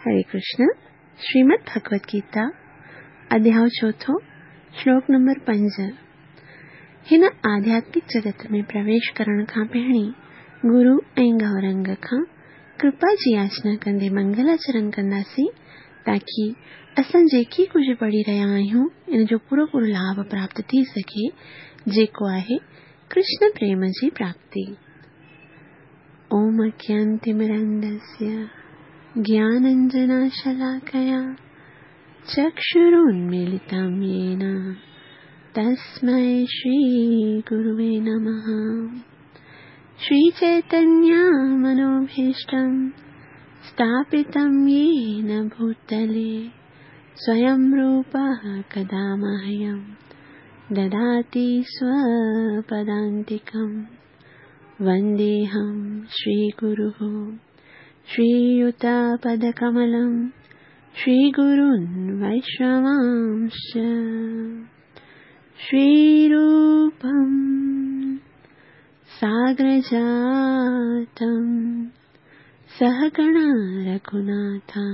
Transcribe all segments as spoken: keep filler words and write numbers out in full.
हरे कृष्ण। श्रीमद् भगवत गीता अध्याय चोथों श्लोक नंबर पंज। हिन आध्यात्मिक जगत में प्रवेश करण खां पहिरीं गुरु ऐं गौरंग खां कृपा जी याचना कंदे मंगलाचरण कंदासीं ताकी असां जेकी कुझु पढ़ी रहिया आहियूं इन जो पूरो पूरो लाभ प्राप्त थी सघे, जेको आहे कृष्ण प्रेम जी प्राप्ति। ओम अज्ञानतिमिरन्धस्य ज्ञानाञ्जनशलाकया चक्षुरुन्मीलितं येन तस्मै श्रीगुरुवे नमः। श्रीचैतन्यमनोभीष्टं स्थापितं येन भूतले स्वयं रूपः कदा मह्यं ददाति स्वपदान्तिकं। वन्देऽहं श्रीगुरुः श्रीयुतपदकमलं श्रीगुरून् वैष्णवांश्च। श्रीरूपं सागरजातं सहगणा रघुनाथान्वितं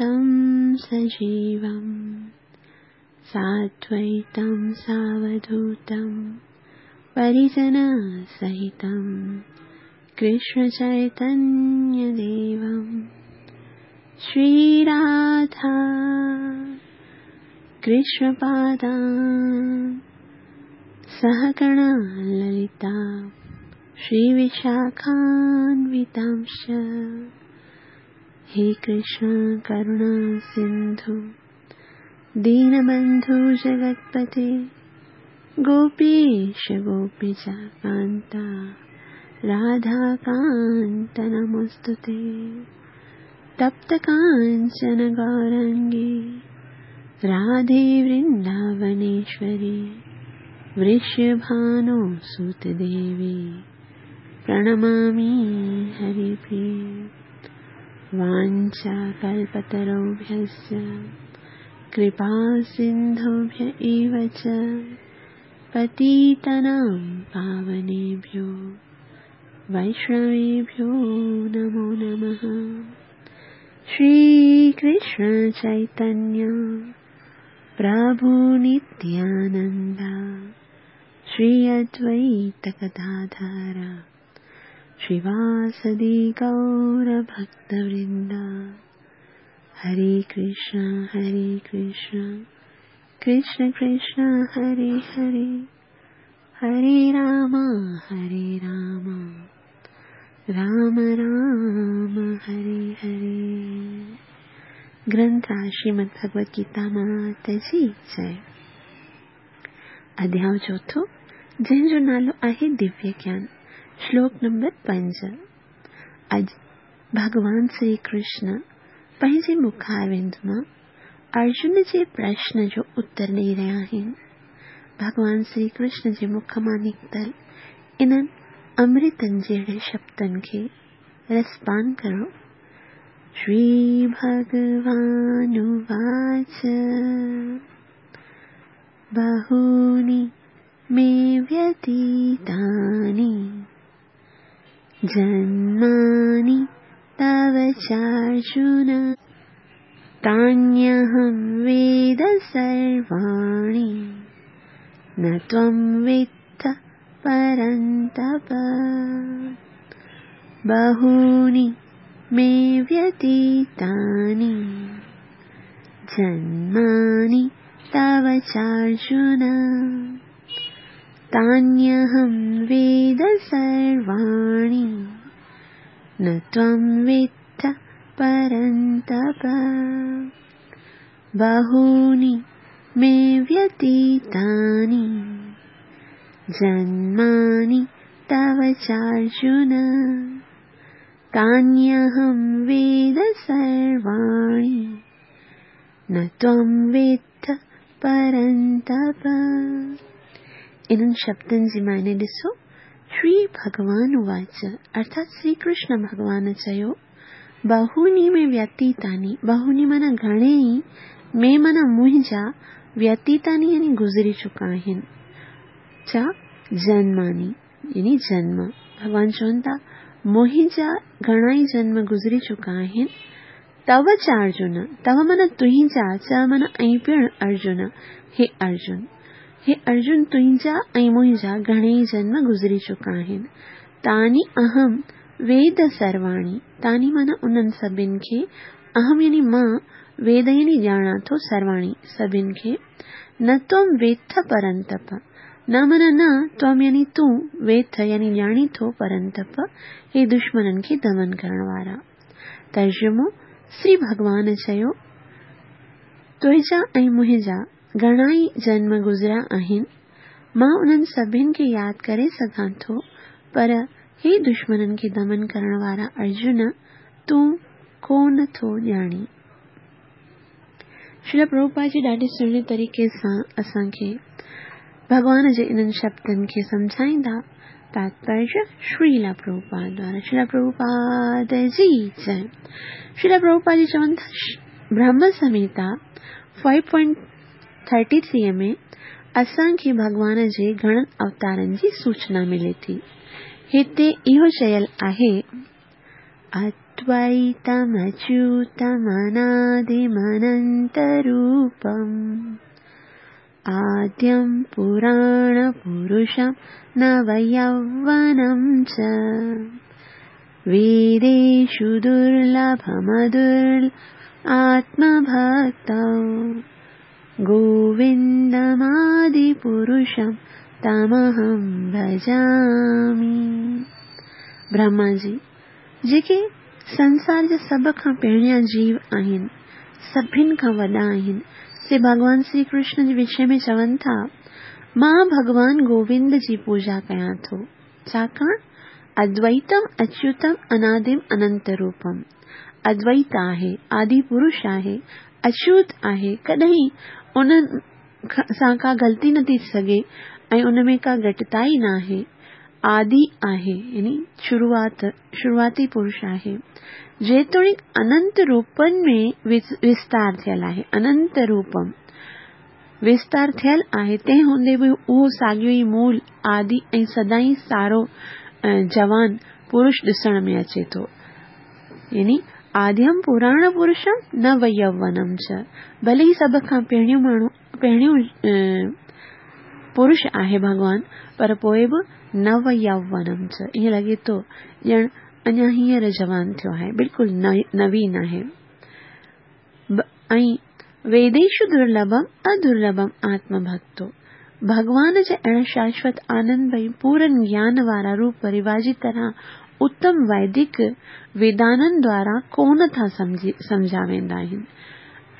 तं सजीवं साद्वैतं सावधूतं परिजनसहितं कृष्णचैतन्यदेवं। श्रीराधा कृष्णपादान् सहगणा ललिता श्रीविशाखान्वितांश्च। हे कृष्ण करुणा सिन्धु दीनबन्धु जगत्पते गोपीश गोपिकान्ता राधाकान्त नमोऽस्तुते। तप्त काञ्चन गौराङ्गी राधे वृन्दावनेश्वरी वृषभानुसुतदेवी प्रणमामि हरिप्रिये। वाञ्छाकल्पतरुभ्यश्च कृपा सिन्धुभ्य एव च पतितानां पावनेभ्यो वैष्णवेभ्यो नमो नमः। श्रीकृष्ण चैतन्य प्रभु नित्यानंद श्री अद्वैत गदाधर श्रीवासदि गौर भक्तवृंद। हरे कृष्ण हरे कृष्ण कृष्ण कृष्ण हरे हरे, हरे राम हरे राम राम राम हरे हरे। ग्रंथ श्रीमद् भगवत गीता मात जी जय। अध्याय चोथों जंहिंजो नालो आहे दिव्य ज्ञान, श्लोक नंबर पंज। अॼु भॻवान श्री कृष्ण पंहिंजे मुखारविंद मां अर्जुन जे प्रश्न जो उत्तर ॾेई रहिया आहिनि। भॻवान श्री कृष्ण जे मुख मां निकितल इन्हनि अमृतनि जहिड़े शब्दनि खे रसपान करो। श्री भगवानुवाच बहूनि मे व्यतीतानि जन्मानि तव चार्जुन तान्यहं वेद सर्वाणि न त्वं वेत्थ परन्तप। बहूनि मे व्यतीतानि जन्मानि तव चार्जुन तान्यहं वेद सर्वाणि न त्वं वेत्थ परन्तप। बहूनि मे व्यतीतानि जन्मानि तव चार्जुन तान्यहं वेद सर्वाणि न त्वं वेत्थ परन्तप। इन्हनि शब्दनि जी माने ॾिसो। श्री भगवान उवाच अर्थात श्री कृष्ण भगवान चयो, बहूनि में व्यतीतानि, बहूनि माना घणे ई, में माना मुंहिंजा, व्यतीतानि यानी गुज़री चुका आहिनि, छा जन्मानि यानी जन्म। भॻवान चवनि था मुंहिंजा घणा ई जन्म गुज़री चुका आहिनि। तव च अर्जुन, तव माना तुंहिंजा, च माना ऐं पिणु अर्जुन, हे अर्जुन, हे अर्जुन तुंहिंजा ऐं मुंहिंजा घणेई जन्म गुज़री चुका आहिनि। तानी अहम वेद सर्वाणी, तानी माना उन्हनि सभिनि खे, अहम यानी मां, वेद यानी ॼाणां थो, सर्वाणी सभिनि खे। न त्वं वेत्थ परंतप, न माना न, त्वं यानी तूं, वेत्थ यानी ॼाणी थो, परंतप हे दुश्मननि खे दमन करण वारा। तर्जुमो, श्री भॻवान चयो, तुंहिंजा ऐं मुंहिंजा घणा ई जन्म गुज़रिया आहिनि, मां उन्हनि सभिनि खे यादि करे सघां थो, पर हे दुश्मननि खे दमन करण वारा अर्जुन, तूं कोन थो ॼाणी। श्रील प्रभुपाद जी ॾाढे सुहिणे तरीक़े सां असांखे भॻवान जे इन्हनि शब्दनि खे सम्झाईंदा। तात्पर्य श्रील प्रभुपाद द्वारा। श्रील प्रभुपाद जी जय। श्रील प्रभुपाद जी चवनि था, Brahma Samhita five point thirty three में असांखे भॻवान जे घणनि अवतारनि जी सूचना मिले थी। हिते इहो चयल आहे, अद्वैतमच्युतमनादिमनन्तरूपम् आद्यं पुराणपुरुषं नवयौवनं च वेदेषु दुर्लभमदुर्ल आत्मभक्तौ गोविन्दमादिपुरुषं तमहं भजामि। ब्रह्मा जी जेके संसार जा सभ खां पहिरियां जीव आहिनि, सभिनि खां वॾा आहिनि, से भॻवान श्री कृष्ण जे विषय में चवनि था, मां भॻवान गोविंद जी पूजा कयां थो, छाकाणि अद्वैतम अच्युतम अनादिम अनंत रूपम। अद्वैत आहे, आदि पुरुष आहे, अच्युत आहे, कॾहिं उन सां का ग़लती न थी सघे ऐं उन में का घटिताई न आहे। आदि आहे यानी शुरुआत, शुरुआती पुरुष आहे। जेतोणीकि अनंत रूपनि में विस्तार थियल आहे, अनंत रूपम विस्तार थियल आहे, तंहिं हूंदे बि उहो साॻियो ई मूल आदि ऐं सदाईं सारो जवान पुरुष ॾिसण में अचे थो। यानी आद्यम पुराण पुरुषम नव यौवनम च, भले ई सभ खां पहिरियों माण्हू, पहिरियों पुरुष आहे भॻवान, पर पोइ बि नव यौवनम च, ईअं लॻे थो ॼण अञा हींअर जवान थियो आहे, बिल्कुलु नवीन आहे। ऐं वेदेषु दुर्लभम अदुर्लभम आत्मभक्तो, भॻवान जा अहिड़ा शाश्वत आनंद ऐं पूरन ज्ञान वारा रूप रिवाजी तरह उत्तम वैदिक वेदाननि द्वारा कोन था सम्झा वेंदा आहिनि।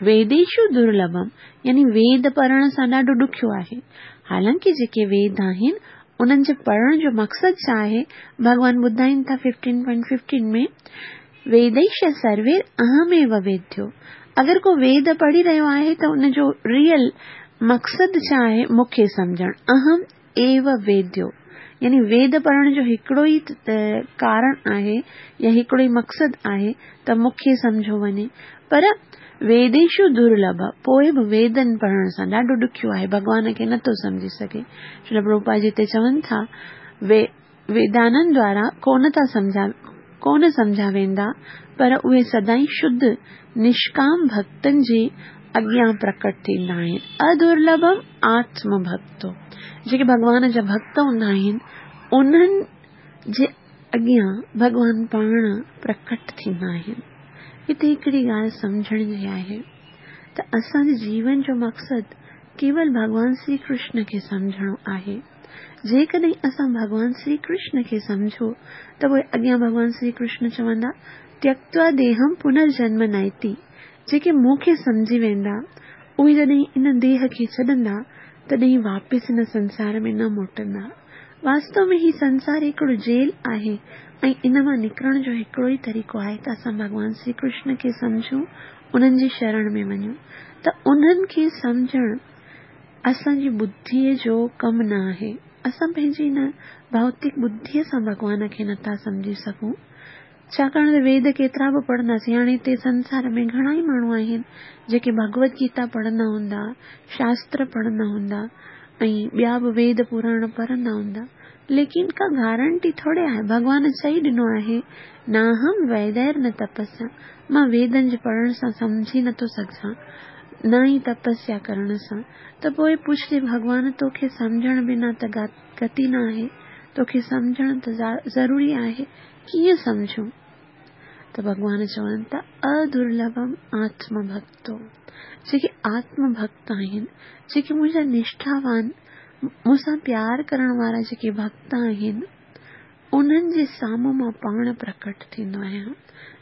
वेदेषु दुर्लभम यानी वेद पढ़ण सां ॾाढो ॾुखियो आहे। हालांकि जेके वेद आहिनि उन्हनि जे पढ़ण जो मक़सदु छा आहे, भॻवान ॿुधाइनि था फिफ्टीन पॉइंट फिफ्टीन में, वेदैश सर्वे अहमेव वेद्यो। अगरि को वेद पढ़ी रहियो आहे त उनजो रियल मक़सदु छा आहे, मूंखे सम्झणु। अहम एव वेद्यो यानी वेद पढ़ण जो हिकिड़ो ई कारण आहे या हिकिड़ो ई मक़सदु आहे त मूंखे सम्झो वञे। पर वेदेषु दुर्लभ, पोइ बि वेदनि पढ़ण सां ॾाढो ॾुखियो आहे, भॻवान खे नथो सम्झी सघे। श्रील प्रभुपाद जी हिते चवनि था, वे वेदाननि द्वारा कोन था सम्झा, कोन सम्झा वेंदा, पर उहे सदाईं शुद्ध निष्काम भक्तनि जे अॻियां प्रकट थींदा आहिनि। अदुर्लभम आत्म भक्तो, जेके भॻवान जा भक्त हूंदा आहिनि उन्हनि जे अॻियां भॻवान पाण प्रकट थींदा आहिनि। हिते हिकिड़ी ॻाल्हि सम्झण जी आहे त असांजे जीवन जो मक़सदु केवल भॻवान श्री कृष्ण खे सम्झणो आहे। जेकॾहिं असां भॻवान श्री कृष्ण खे सम्झो त पोइ अॻियां भॻवान श्री कृष्ण चवंदा, त्यक्त्वा देहम पुनर्जन्म नैति। जेके मूंखे सम्झी वेंदा उहे जॾहिं इन देह खे छॾंदा तॾहिं वापसि हिन संसार में न मोटंदा। वास्तव में ही संसार हिकिड़ो जेल आहे ऐं इन मां निकिरण जो हिकिड़ो ई तरीक़ो आहे त असां भॻवान श्री कृष्ण खे सम्झूं, उन्हनि जी शरण में वञूं। त उन्हनि खे सम्झणु असांजी बुद्धीअ जो कमु न आहे। असां पंहिंजी हिन भौतिक बुद्धीअ सां भॻवान खे नथा सम्झी सघूं, छाकाणि त वेद केतिरा बि पढ़ंदासीं। हाणे हिते संसार में घणा ई माण्हू आहिनि जेके भगवत गीता पढ़ंदा हूंदा, शास्त्र पढ़ंदा हूंदा ऐं ॿिया बि वेद पुराण पढ़ंदा हूंदा, ليڪن ڪا گارنٽي ٿوري آهي. ڀڳوان چئي ڏنو آهي، ناهم ويدير نه تپسيا، مان ويدن جي پڙهڻ سان سمجهي نٿو سگهان، نه ئي تپسيا ڪرڻ سان. ته پوءِ پڇجي ڀڳوان توکي سمجهڻ بنا ته گتي نه آهي، توکي سمجهڻ ته ضروري آهي، ڪيئن سمجهون؟ ته ڀڳوان چون ٿا ادرلڀم آتم ڀڪتو، جيڪي آتم ڀڪت آهن، جيڪي منهنجا نشٺاوان، مون سان پيار ڪرڻ وارا جيڪي ڀڪت آهن، انهن جي سامهون مان پاڻ پرڪٽ ٿيندو آهيان.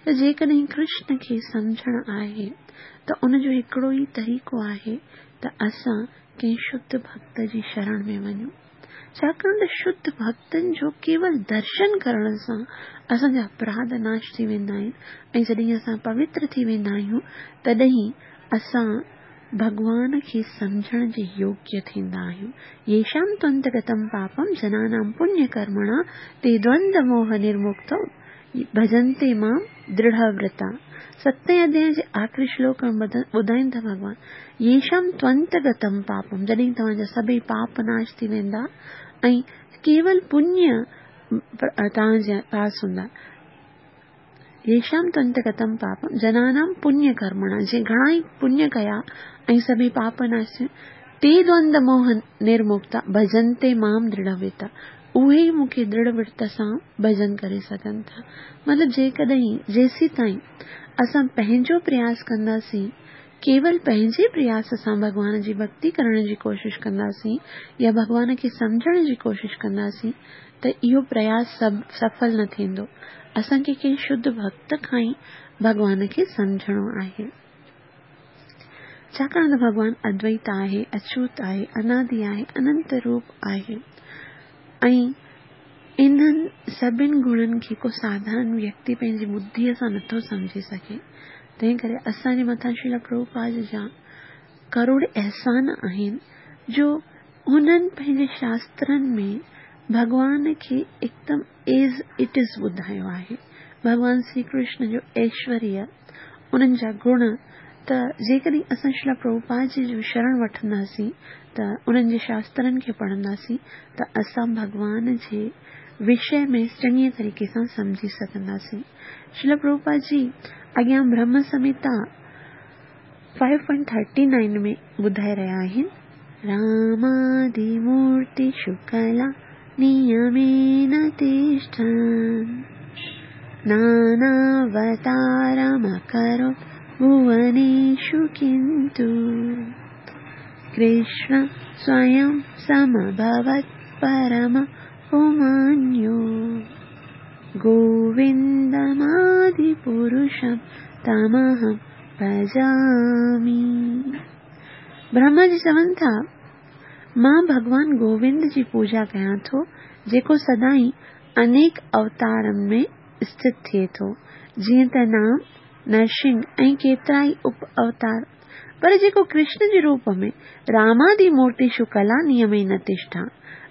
ته جيڪڏهن ڪرشن کي سمجهڻ آهي ته ان جو هڪڙو ئي طريقو آهي ته اسان ڪنهن شڌ ڀڪت جي شرڻ ۾ وڃون. ڇاڪاڻ ته شڌ ڀڪتن جو ڪيول درشن ڪرڻ سان اسان جا اپراڌ ناش ٿي ويندا آهن ۽ جڏهن اسان پوتر ٿي ويندا آهيون تڏهن اسان ڀڳوان کي سمجهڻ جي يوگيه ٿيندا آهيون. ييشام تونتگتم پاپم جنانام پڃ ڪرمڻا تي دوند موهه نرمڪتو ڀجنتي مام درڙهورتا. ستين اڌياء جي آخري شلوڪ ۾ ٻڌائين ٿا ڀڳوان، ييشام تونتگتم پاپم، جڏهن توهان جا سڀئي پاپ ناش ٿي ويندا ۽ ڪيول پڃ توهان جي پاس هوندا. ييشام تونتگتم پاپم جنانام پڃ ڪرمڻا، جنهن گهڻا ئي پڃ ڪيا ۽ سڀئي پاپ ناش ٿي، تي دوند موهه نرمڪتا ڀجنتي مام درڙهورتا، اهي ئي مون کي درڙهورت سان ڀجن ڪري سگهن ٿا. مطلب جيڪڏهن جيسين تائين اسان پنهنجو پرياس ڪنداسين، ڪيول پنهنجي پرياس سان ڀڳوان جي ڀڪتي ڪرڻ جي ڪوشش ڪنداسين يا ڀڳوان کي سمجهڻ جي ڪوشش ڪنداسين ته اهو پرياس سڀ سڦل نه ٿيندو. اسان کي ڪنهن شڌ ڀڪت کان ئي ڀڳوان کي سمجهڻو آهي. ڇاڪاڻ ته ڀڳوان ادويت آهي، اڇوت آهي، انادي آهي، اننت روپ آهي ۽ انهن سڀني گڻن کي ڪو ساڌارڻ ويڪتي پنهنجي ٻڌيءَ سان نٿو سمجهي سگهي. تنهن ڪري اسان جي مٿان شريل پرڀوپاد جا ڪروڙ احسان آهن جو هنن پنهنجي شاسترن ۾ ڀڳوان کي هڪدم ايز it از ٻڌايو آهي. ڀڳوان شري ڪرشن جو ايشوريه، انهن جا گڻ، ته جيڪڏهن اسان شريل پرڀوپاد جي جو شرڻ وٺنداسين ته انهن جي شاسترن کي پڙهنداسين ته اسان ڀڳوان جي وشي ۾ چڱي طريقي سان سمجهي سگهنداسين. شريل پرڀوپاد جي اڳيان برهم سمهتا فائيو پوائنٽ ٿرٽي نائن ۾ ٻڌائي رهيا آهن، رامادي مورتي شڪلا نيمين تشٺن ناناوتارمڪرو ڀوونيشو ڪنتو ڪرشن سويم سمڀوت پرم پمانيو گووندمادي پرشم تمهم ڀجامي. برهما جي چون ٿا، مان ڀڳوان گووند جي پوڄا ڪيان ٿو جيڪو سدائين انيڪ اوتارن ۾ اسٿت ٿئي ٿو، جيئن ته نام، نرسنگ ۽ ڪيترا ئي اپ اوتار، پر جيڪو ڪرشن جي روپ ۾ رامادي مورتي شڪلا نيم نه تشٺا.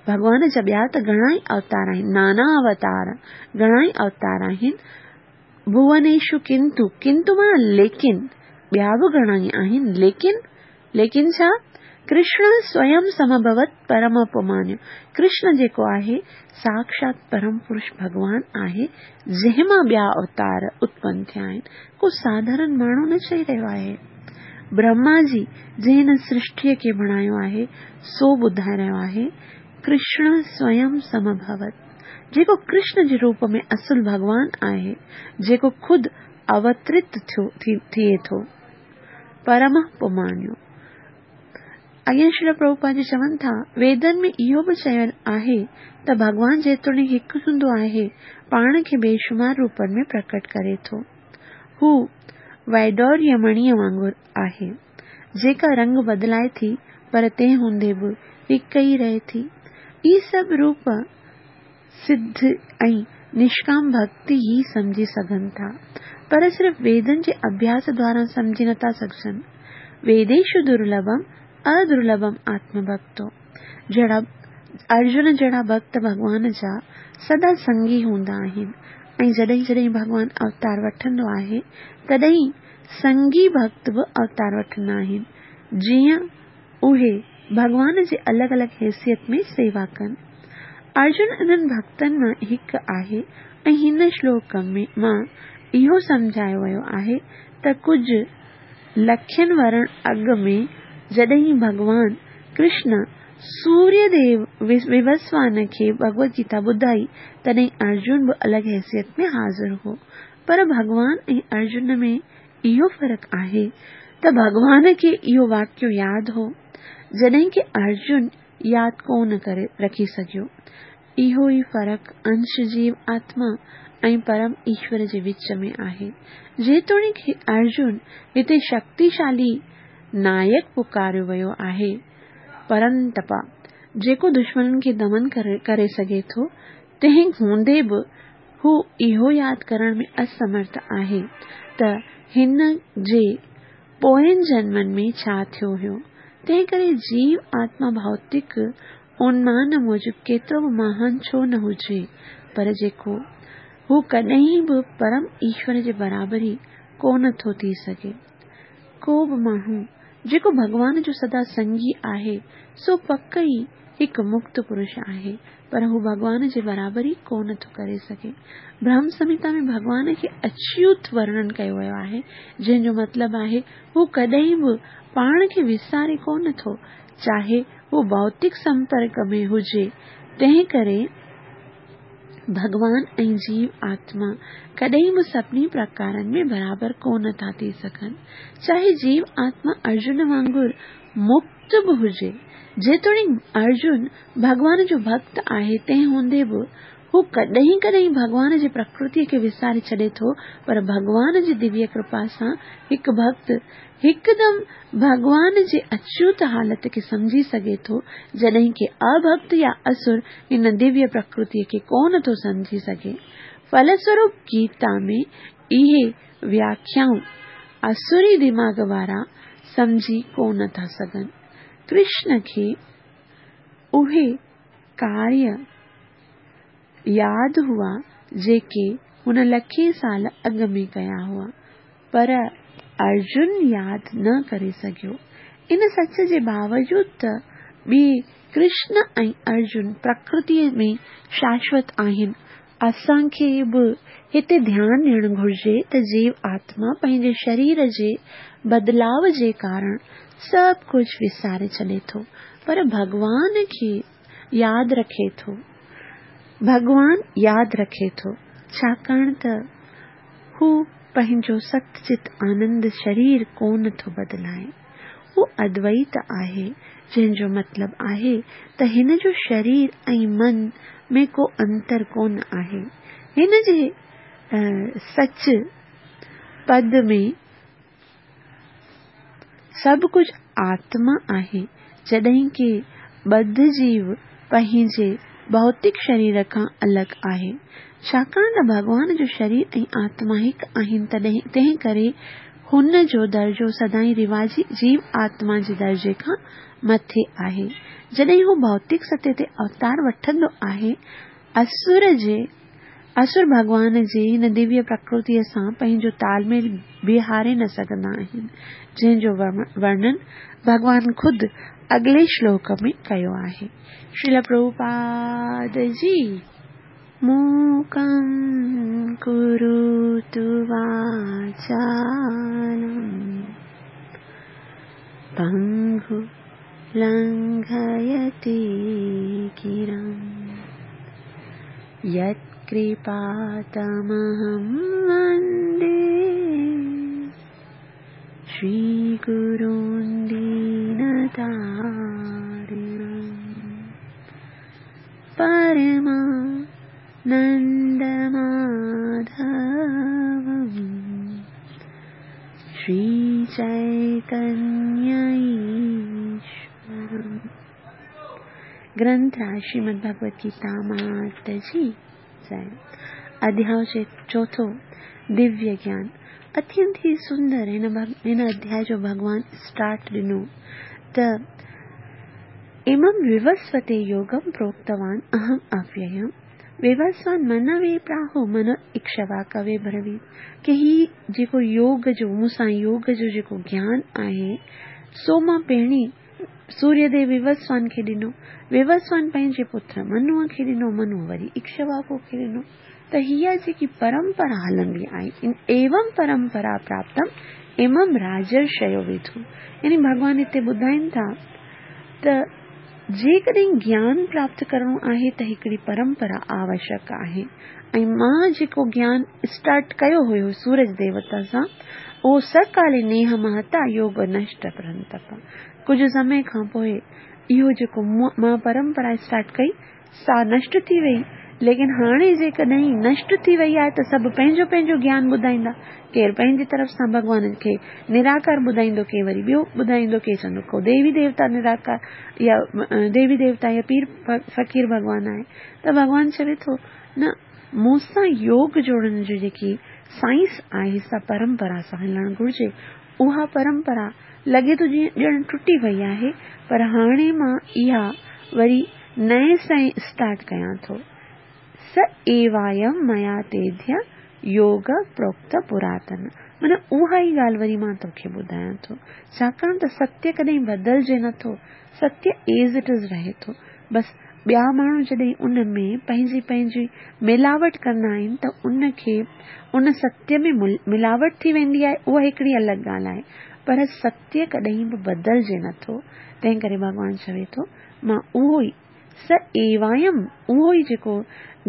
ڀڳوان جا ٻيا ته گهڻا ئي اوتار آهن، نانا اوتار، گهڻا ئي اوتار آهن. ڀوونيشو ڪنتو، ڪنتو معنيٰ ليڪن، ٻيا به گهڻا ئي آهن، ليڪن، ليڪن ڇا؟ ڪرشن سويم سمڀوت پرم اپمانيو، ڪرشن جيڪو آهي ساکشات پرم پرش ڀڳوان آهي، جنهن مان ٻيا اوتار اتپن ٿيا آهن. ڪو ساڌارڻ ماڻهو نه چئي رهيو آهي. برهما جي جنهن هن سرشٽيءَ کي بڻايو آهي سو ٻڌائي رهيو آهي، ڪرشن سويم سمڀوت، جيڪو ڪرشن جي روپ ۾ اصل ڀڳوان آهي، جيڪو خود اوترت ٿيو ٿئي ٿو، پرم پمانيو. اڳيان شريل پرڀوپاد جي چون ٿا، ويدن ۾ اهو به چيل آهي ته ڀڳوان جيتوڻيڪ هڪ هوندو آهي، پاڻ کي بيشمار روپن ۾ پرڪٽ ڪري ٿو. هو ويڊوريه مڻيءَ وانگر آهي، جيڪا رنگ بدلائي ٿي پر تنهن هوندي به هڪ ئي رهي ٿي. اهي سڀ روپ سڌ ۽ نشڪام ڀڪتي ئي سمجهي سگهن ٿا، پر صرف ويدن جي اڀياس دوارا سمجهي نٿا سگهجن. ويديشو درلڀم ادرلڀم آتم ڀڪتو، جهڙا ارجن جهڙا ڀڪت ڀڳوان جا سدا سنگي هوندا آهن ۽ جڏهن جڏهن ڀڳوان اوتار وٺندو آهي تڏهن سنگي ڀڪت به اوتار وٺندا آهن، جيئن اهي ڀڳوان جي الڳ الڳ حيثيت ۾ سيوا ڪن. ارجن انهن ڀڳتن مان هڪ آهي ۽ هن شلوڪ ۾ مان اهو سمجهايو ويو آهي ته ڪجهه لکين ورهن اڳ ۾ جڏهن ڀڳوان ڪرشن سوريه ديو ووسوان کي ڀڳوت گيتا ٻڌائي، تڏهن ارجن به الڳ حيثيت ۾ حاضر هو. پر ڀڳوان ۽ ارجن ۾ اهو فرق آهي ته ڀڳوان کي اهو واقعو ياد هو، جڏهن ڪه ارجن ياد ڪونه ڪري رکي سگهيو. اهو ئي فرق انش جيو آتما ۽ پرم ايشور جي وچ ۾ آهي. جيتوڻيڪ ارجن هتي شڪتيشالي نائڪ پڪاريو ويو آهي، پرنتپا، جيڪو دشمنن کي دمن ڪري سگهي ٿو، تنهن هوندي به هو اهو ياد ڪرڻ ۾ اسمرٿ آهي ته هن جي پوئين جنمن ۾ ڇا ٿيو هيو. تنهن ڪري جيو آتما ڀوتڪ انومان موجب ڪيترو به مهان ڇو نه هجي، پر جيڪو هو ڪڏهن به پرم ايشور جي برابري ڪونه ٿو ٿي سگهي. ڪو به ماڻهو جيڪو ڀڳوان جو سدا سنگي آهي، سو پڪ ئي هڪ مڪت پرش آهي، پر هو ڀڳوان جي برابري ڪونه ٿو ڪري سگهي. برهم سمهتا ۾ ڀڳوان کي اڇوت ورڻن ڪيو ويو آهي، جنهن جو مطلب آهي هو ڪڏهن به پاڻ کي وساري ڪونه ٿو، چاهي هو ڀوتڪ سمپرڪ ۾ هجي. تنهن ڪري ڀڳوان ۽ جيو آتما ڪڏهن به سڀني پرڪارن ۾ برابر ڪونه ٿا ٿي سگهن، چاهي جيو آتما ارجن وانگر مڪت به هجي. جيتوڻيڪ ارجن ڀڳوان جو ڀڳت آهي، تنهن هوندي به هو ڪڏهن ڪڏهن ڀڳوان جي پرڪرتيء کي وساري ڇڏي ٿو، پر ڀڳوان جي دويه ڪرپا سان هڪ ڀڳت هڪدم ڀڳوان جي اڇوت حالت کي سمجهي سگهي ٿو، جڏهن ڪه اڀڳت يا اسر هن دويه پرڪرتيء کي ڪونه ٿو سمجهي سگهي. ڦلسوروپ گيتا ۾ اهي وياکيائون اسري دماغ وارا سمجهي ڪونه ٿا سگهن. ڪرشن کي اهي ڪاريه ياد هئا جيڪي هن لکين سال اڳ ۾ ڪيا هئا، پر ارجن ياد نه ڪري سگهيو. ان سچ جي باوجود ته ٻئي ڪرشن ۽ ارجن پرڪرتيء ۾ شاشوت آهن. اسان کي به هتي ڌيان ڏيڻ گهرجي ته جيو آتما پنهنجي شرير جي بدلاء جي ڪارڻ سڀ ڪجهه وساري ڇڏي ٿو، پر ڀڳوان کي ياد رکي ٿو. ڀڳوان ياد رکي ٿو، ڇاڪاڻ ته هو پنهنجو ست چت آنند شرير ڪونه ٿو بدلائي. هو ادويت آهي، جنهن جو مطلب آهي ته هن جو شرير ۽ من ۾ ڪو انتر ڪونه آهي. هن جي سچ پد ۾ سڀ ڪجهه آتما آهي، جڏهن ڪه ٻڌ جيو پنهنجي ڀوتڪ شرير کان الڳ آهي. ڇاڪاڻ ته ڀڳوان جو شرير ۽ آتما هڪ آهن، تڏهن تنهن ڪري هن جو درجو سدائين رواجي جيو آتما جي درجي کان مٿي آهي. جڏهن هو ڀوتڪ سطح تي اوتار وٺندو آهي، اسر جي اسر ڀڳوان جي هن دويه پرڪرتيء سان پنهنجو تال ميل بيهاري نه سگهندا آهن، جنهن جو ورڻن ڀڳوان خود اڳلي شلوڪ ۾ ڪيو آهي. شريل پرڀوپاد جي. موڪم ڪروتु واچالم پنگو لنگهيتي گرم يتڪرپا تمهم وندي شري گرون دينتارڻم پرمانند ماڌوم شري چيتنيه ايشورم. گرنٿ راج شريمد ڀڳوت گيتا مات جي جئي. اڌياء چوٿون، دويه گيان. اتينت ئي سندر هن هن اڌياء جو ڀڳوان اسٽارٽ ڏنو ته امم ووسوتي يوگم پروڪتوان اهم اوييم ووسوان منوي پراهو من اڪشوا ڪوي برويت، ڪه هي جيڪو يوگ جو مون سان يوگ جو جيڪو گيان آهي، سو مان پهرين سوريه ديو ووسوان کي ڏنو، ووسوان پنهنجي پٽ منوء کي ڏنو، منوء وري اڪشواڪو کي ڏنو. ته هيء جيڪي پرمپرا هلندي آئي، ايوم پرمپرا پراپتم امم راجرشيو وڌو. يعني ڀڳوان هتي ٻڌائين ٿا ته جيڪڏهن گيان پراپت ڪرڻو آهي ته هڪڙي پرمپرا آوشيڪ آهي. ۽ مان جيڪو گيان اسٽارٽ ڪيو هيو سورج ديوتا سان، اهو سڪالي نيهه مهتا يوگ نشٽ پرنتپ. ڪجهه سمي کان پوءِ اهو جيڪو مان پرمپرا اسٽارٽ ڪئي سا نشٽ ٿي وئي. ليڪن هاڻي جيڪڏهن نشٽ ٿي وئي آهي ته سڀ پنهنجو پنهنجو گيان ٻڌائيندا. ڪير پنهنجي طرف سان ڀڳوان کي نراڪار ٻڌائيندو، ڪير وري ٻيو ٻڌائيندو، ڪير چوندو ڪو ديوي ديوتا نراڪار يا ديوي ديوتا يا پير فقير ڀڳوان آهي. ته ڀڳوان چوي ٿو نه، مون سان يوگ جوڙڻ جي جيڪي سائنس آهي سا پرمپرا سان هلڻ گهرجي. اها پرمپرا لڳي ٿو جيئن ڄڻ ٽٽي وئي آهي، پر هاڻي مان اها وري نئين سان اسٽارٽ ڪيان ٿو. س ايوايم ميا تيڌيه يوگ پروڪت پراتن. معنيٰ اها ئي ڳالهه وري مان توکي ٻڌايان ٿو، ڇاڪاڻ ته ستيه ڪڏهن بدلجي نٿو، ستيه ايز it is رهي ٿو. بس ٻيا ماڻهو جڏهن ان ۾ پنهنجي پنهنجي ملاوٽ ڪندا آهن ته ان کي ان ستيه ۾ ملاوٽ ٿي ويندي آهي، اها هڪڙي الڳ ڳالهه آهي، پر ستيه ڪڏهن به بدلجي نٿو. تنهن ڪري ڀڳوان چوي ٿو مان اهو ئي س ايوايم، اهو ئي جيڪو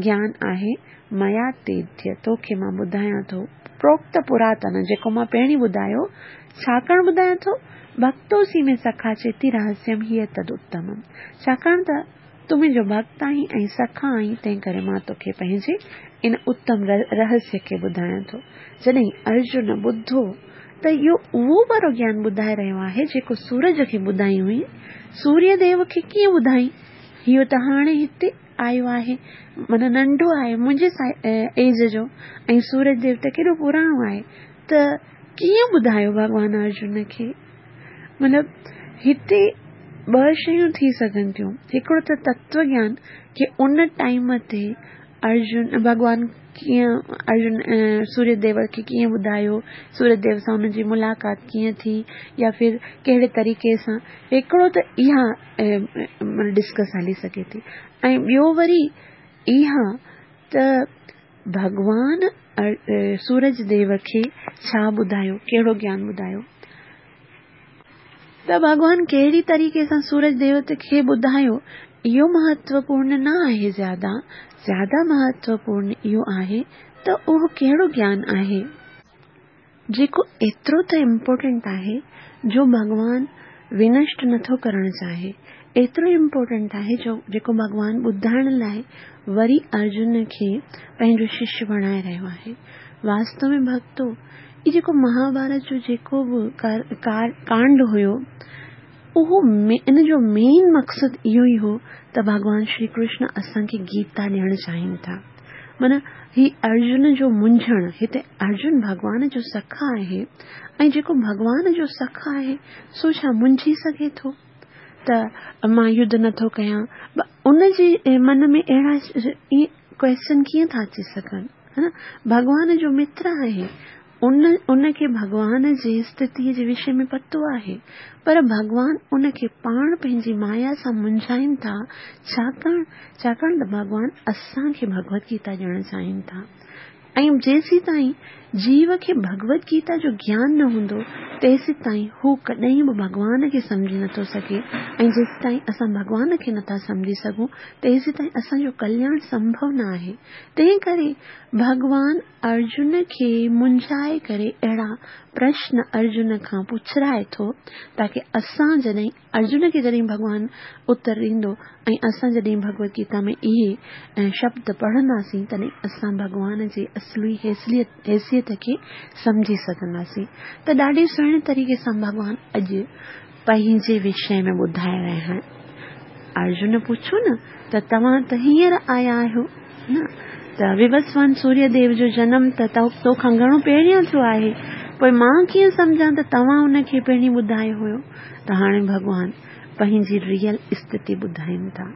گيان آهي ميا تيڌيه توکي مان ٻڌايان ٿو، پروڪت پراتن جيڪو مان پهرين ٻڌايو. ڇاڪاڻ ٻڌايان ٿو؟ ڀڪتوسي ۾ سکا چيتي رهسيم هيءَ تد اتمم. ڇاڪاڻ ته تون منهنجو ڀڪت آهين ۽ سکا آهين، تنهن ڪري مان توکي پنهنجي ان اتم رهسيه کي ٻڌايان ٿو. جڏهن ارجن ٻڌو ته اهو اهو وارو گيان ٻڌائي رهيو آهي جيڪو سورج کي ٻڌائي هئي، سوريه ديو کي ڪيئن ٻڌائي؟ اهو ته هاڻي هتي آيو آهي، معنيٰ ننڍو آهي منهنجي ايج جو، ۽ سورج ديو ته ڪيڏو پراڻو آهي، ته ڪيئن ٻڌايو ڀڳوان ارجن کي؟ مطلب هتي ٻه شيون ٿي سگهن ٿيون. هڪڙو ته تتو گيان ڪه ان ٽائيم تي ارجن ڀڳوان ڪيئن ارجن سوريه ديو کي ڪيئن ٻڌايو، سوريه ديو سان هن جي ملاقات ڪيئن ٿي يا ڦر ڪهڙي طريقي سان، هڪڙو ته اها ڊسڪس هلي سگهي ٿي. ۽ ٻيو وري اها ته ڀڳوان سورج ديو کي ڇا ٻڌايو، ڪهڙو گيان ٻڌايو. ته ڀڳوان ڪهڙي طريقي سان سورج ديو کي ٻڌايو اهو مهتوپورڻ نه آهي، زياده زياده مهتوپورڻ اهو آهي ته اهو ڪهڙو گيان آهي جيڪو ايترو ته امپورٽنٽ آهي جو ڀڳوان ونشٽ نٿو ڪرڻ چاهي، ايترو امپورٽنٽ آهي جو جيڪو ڀڳوان ٻڌائڻ لاءِ وري ارجن کي پنهنجو ششيه بڻائي رهيو آهي. واستو ۾ ڀڳتو هي جيڪو مهاڀارت جو جيڪو به ڪانڊ هيو اهو ان جو مين مقصد اهو ئي هو ته ڀڳوان شري ڪرشن اسان کي گيتا ڏيڻ چاهين ٿا. معنيٰ هي ارجن جو منجهڻ، هتي ارجن ڀڳوان جو سکا آهي ۽ جيڪو ڀڳوان جو سکا آهي سو ڇا منجهي سگهي ٿو ته مان يڌ نٿو ڪيان؟ ان جي من ۾ اهڙا ڪوئسچن ڪيئن ٿا اچي سگهن؟ ها نه، ڀڳوان جو متر آهي، ان ان کي ڀڳوان جي اسٿتيءَ جي وشي ۾ پتو آهي، پر ڀڳوان ان کي پاڻ پنهنجي مايا سان منجهائين ٿا. ڇاڪاڻ ڇاڪاڻ ته ڀڳوان اسان کي ڀڳوت گيتا ڏيڻ چاهين ٿا. ۽ جيسين تائين جيو کي ڀڳوت گيتا جو گيان نه هوندو تيسين تائين هو ڪڏهن به ڀڳوان کي سمجهي نٿو سگهي، ۽ جيسين تائين اسان ڀڳوان کي نٿا سمجهي سگهون تيسين تائين اسان جو ڪلياڻ سنڀو نه آهي. تنهن ڪري ڀڳوان ارجن کي منجهائي ڪري اهڙا پرشن ارجن کان پڇرائي ٿو تاڪه اسان جڏهن ارجن کي جڏهن ڀڳوان اتر ڏيندو ۽ اسان جڏهن ڀڳوت گيتا ۾ اهي شبد پڙهنداسين تڏهن اسان ڀڳوان جي اصلي حيثيت کي سمجهي سگهنداسين. ته ڏاڍي سهڻي طريقي سان ڀڳوان اڄ پنهنجي وشي ۾ ٻڌائي رهيا آهن. ارجن پڇو نه ته توهان ته هينئر آيا آهيو نه، ته ووسوان سوريه ديو جو جنم ته توکان گهڻو پهريان ٿيو آهي، پوءِ مان ڪيئن سمجهان ته توهان ان کي پهرين ٻڌايو هيو؟ ته هاڻي ڀڳوان پنهنجي ريئل اسٿتي ٻڌائين ٿا.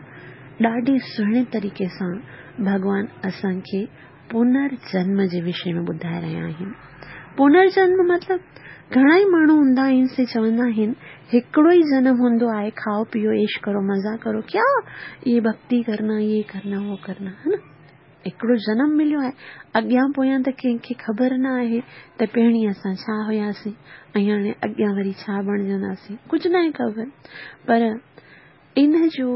ڏاڍي سهڻي طريقي سان ڀڳوان اسان کي پنرجنم جي وشي ۾ ٻڌائي رهيا آهن. پنرجنم مطلب گهڻا ئي ماڻهو هوندا آهن سي چوندا آهن هڪڙو ئي جنم هوندو آهي، کائو پيئو عيش ڪرو مزا ڪرو، ڪيا يي ڀڪتي ڪرنا يي ڪرنا وو ڪرنا، ها نه؟ هڪڙو جنم مليو آهي، اڳيان پويان ته ڪنهن کي خبر نه آهي ته پهرين اسان ڇا هياسين ۽ هاڻي اڳيان وري ڇا بڻجنداسين، ڪجهه نه آهي خبر. پر ان جو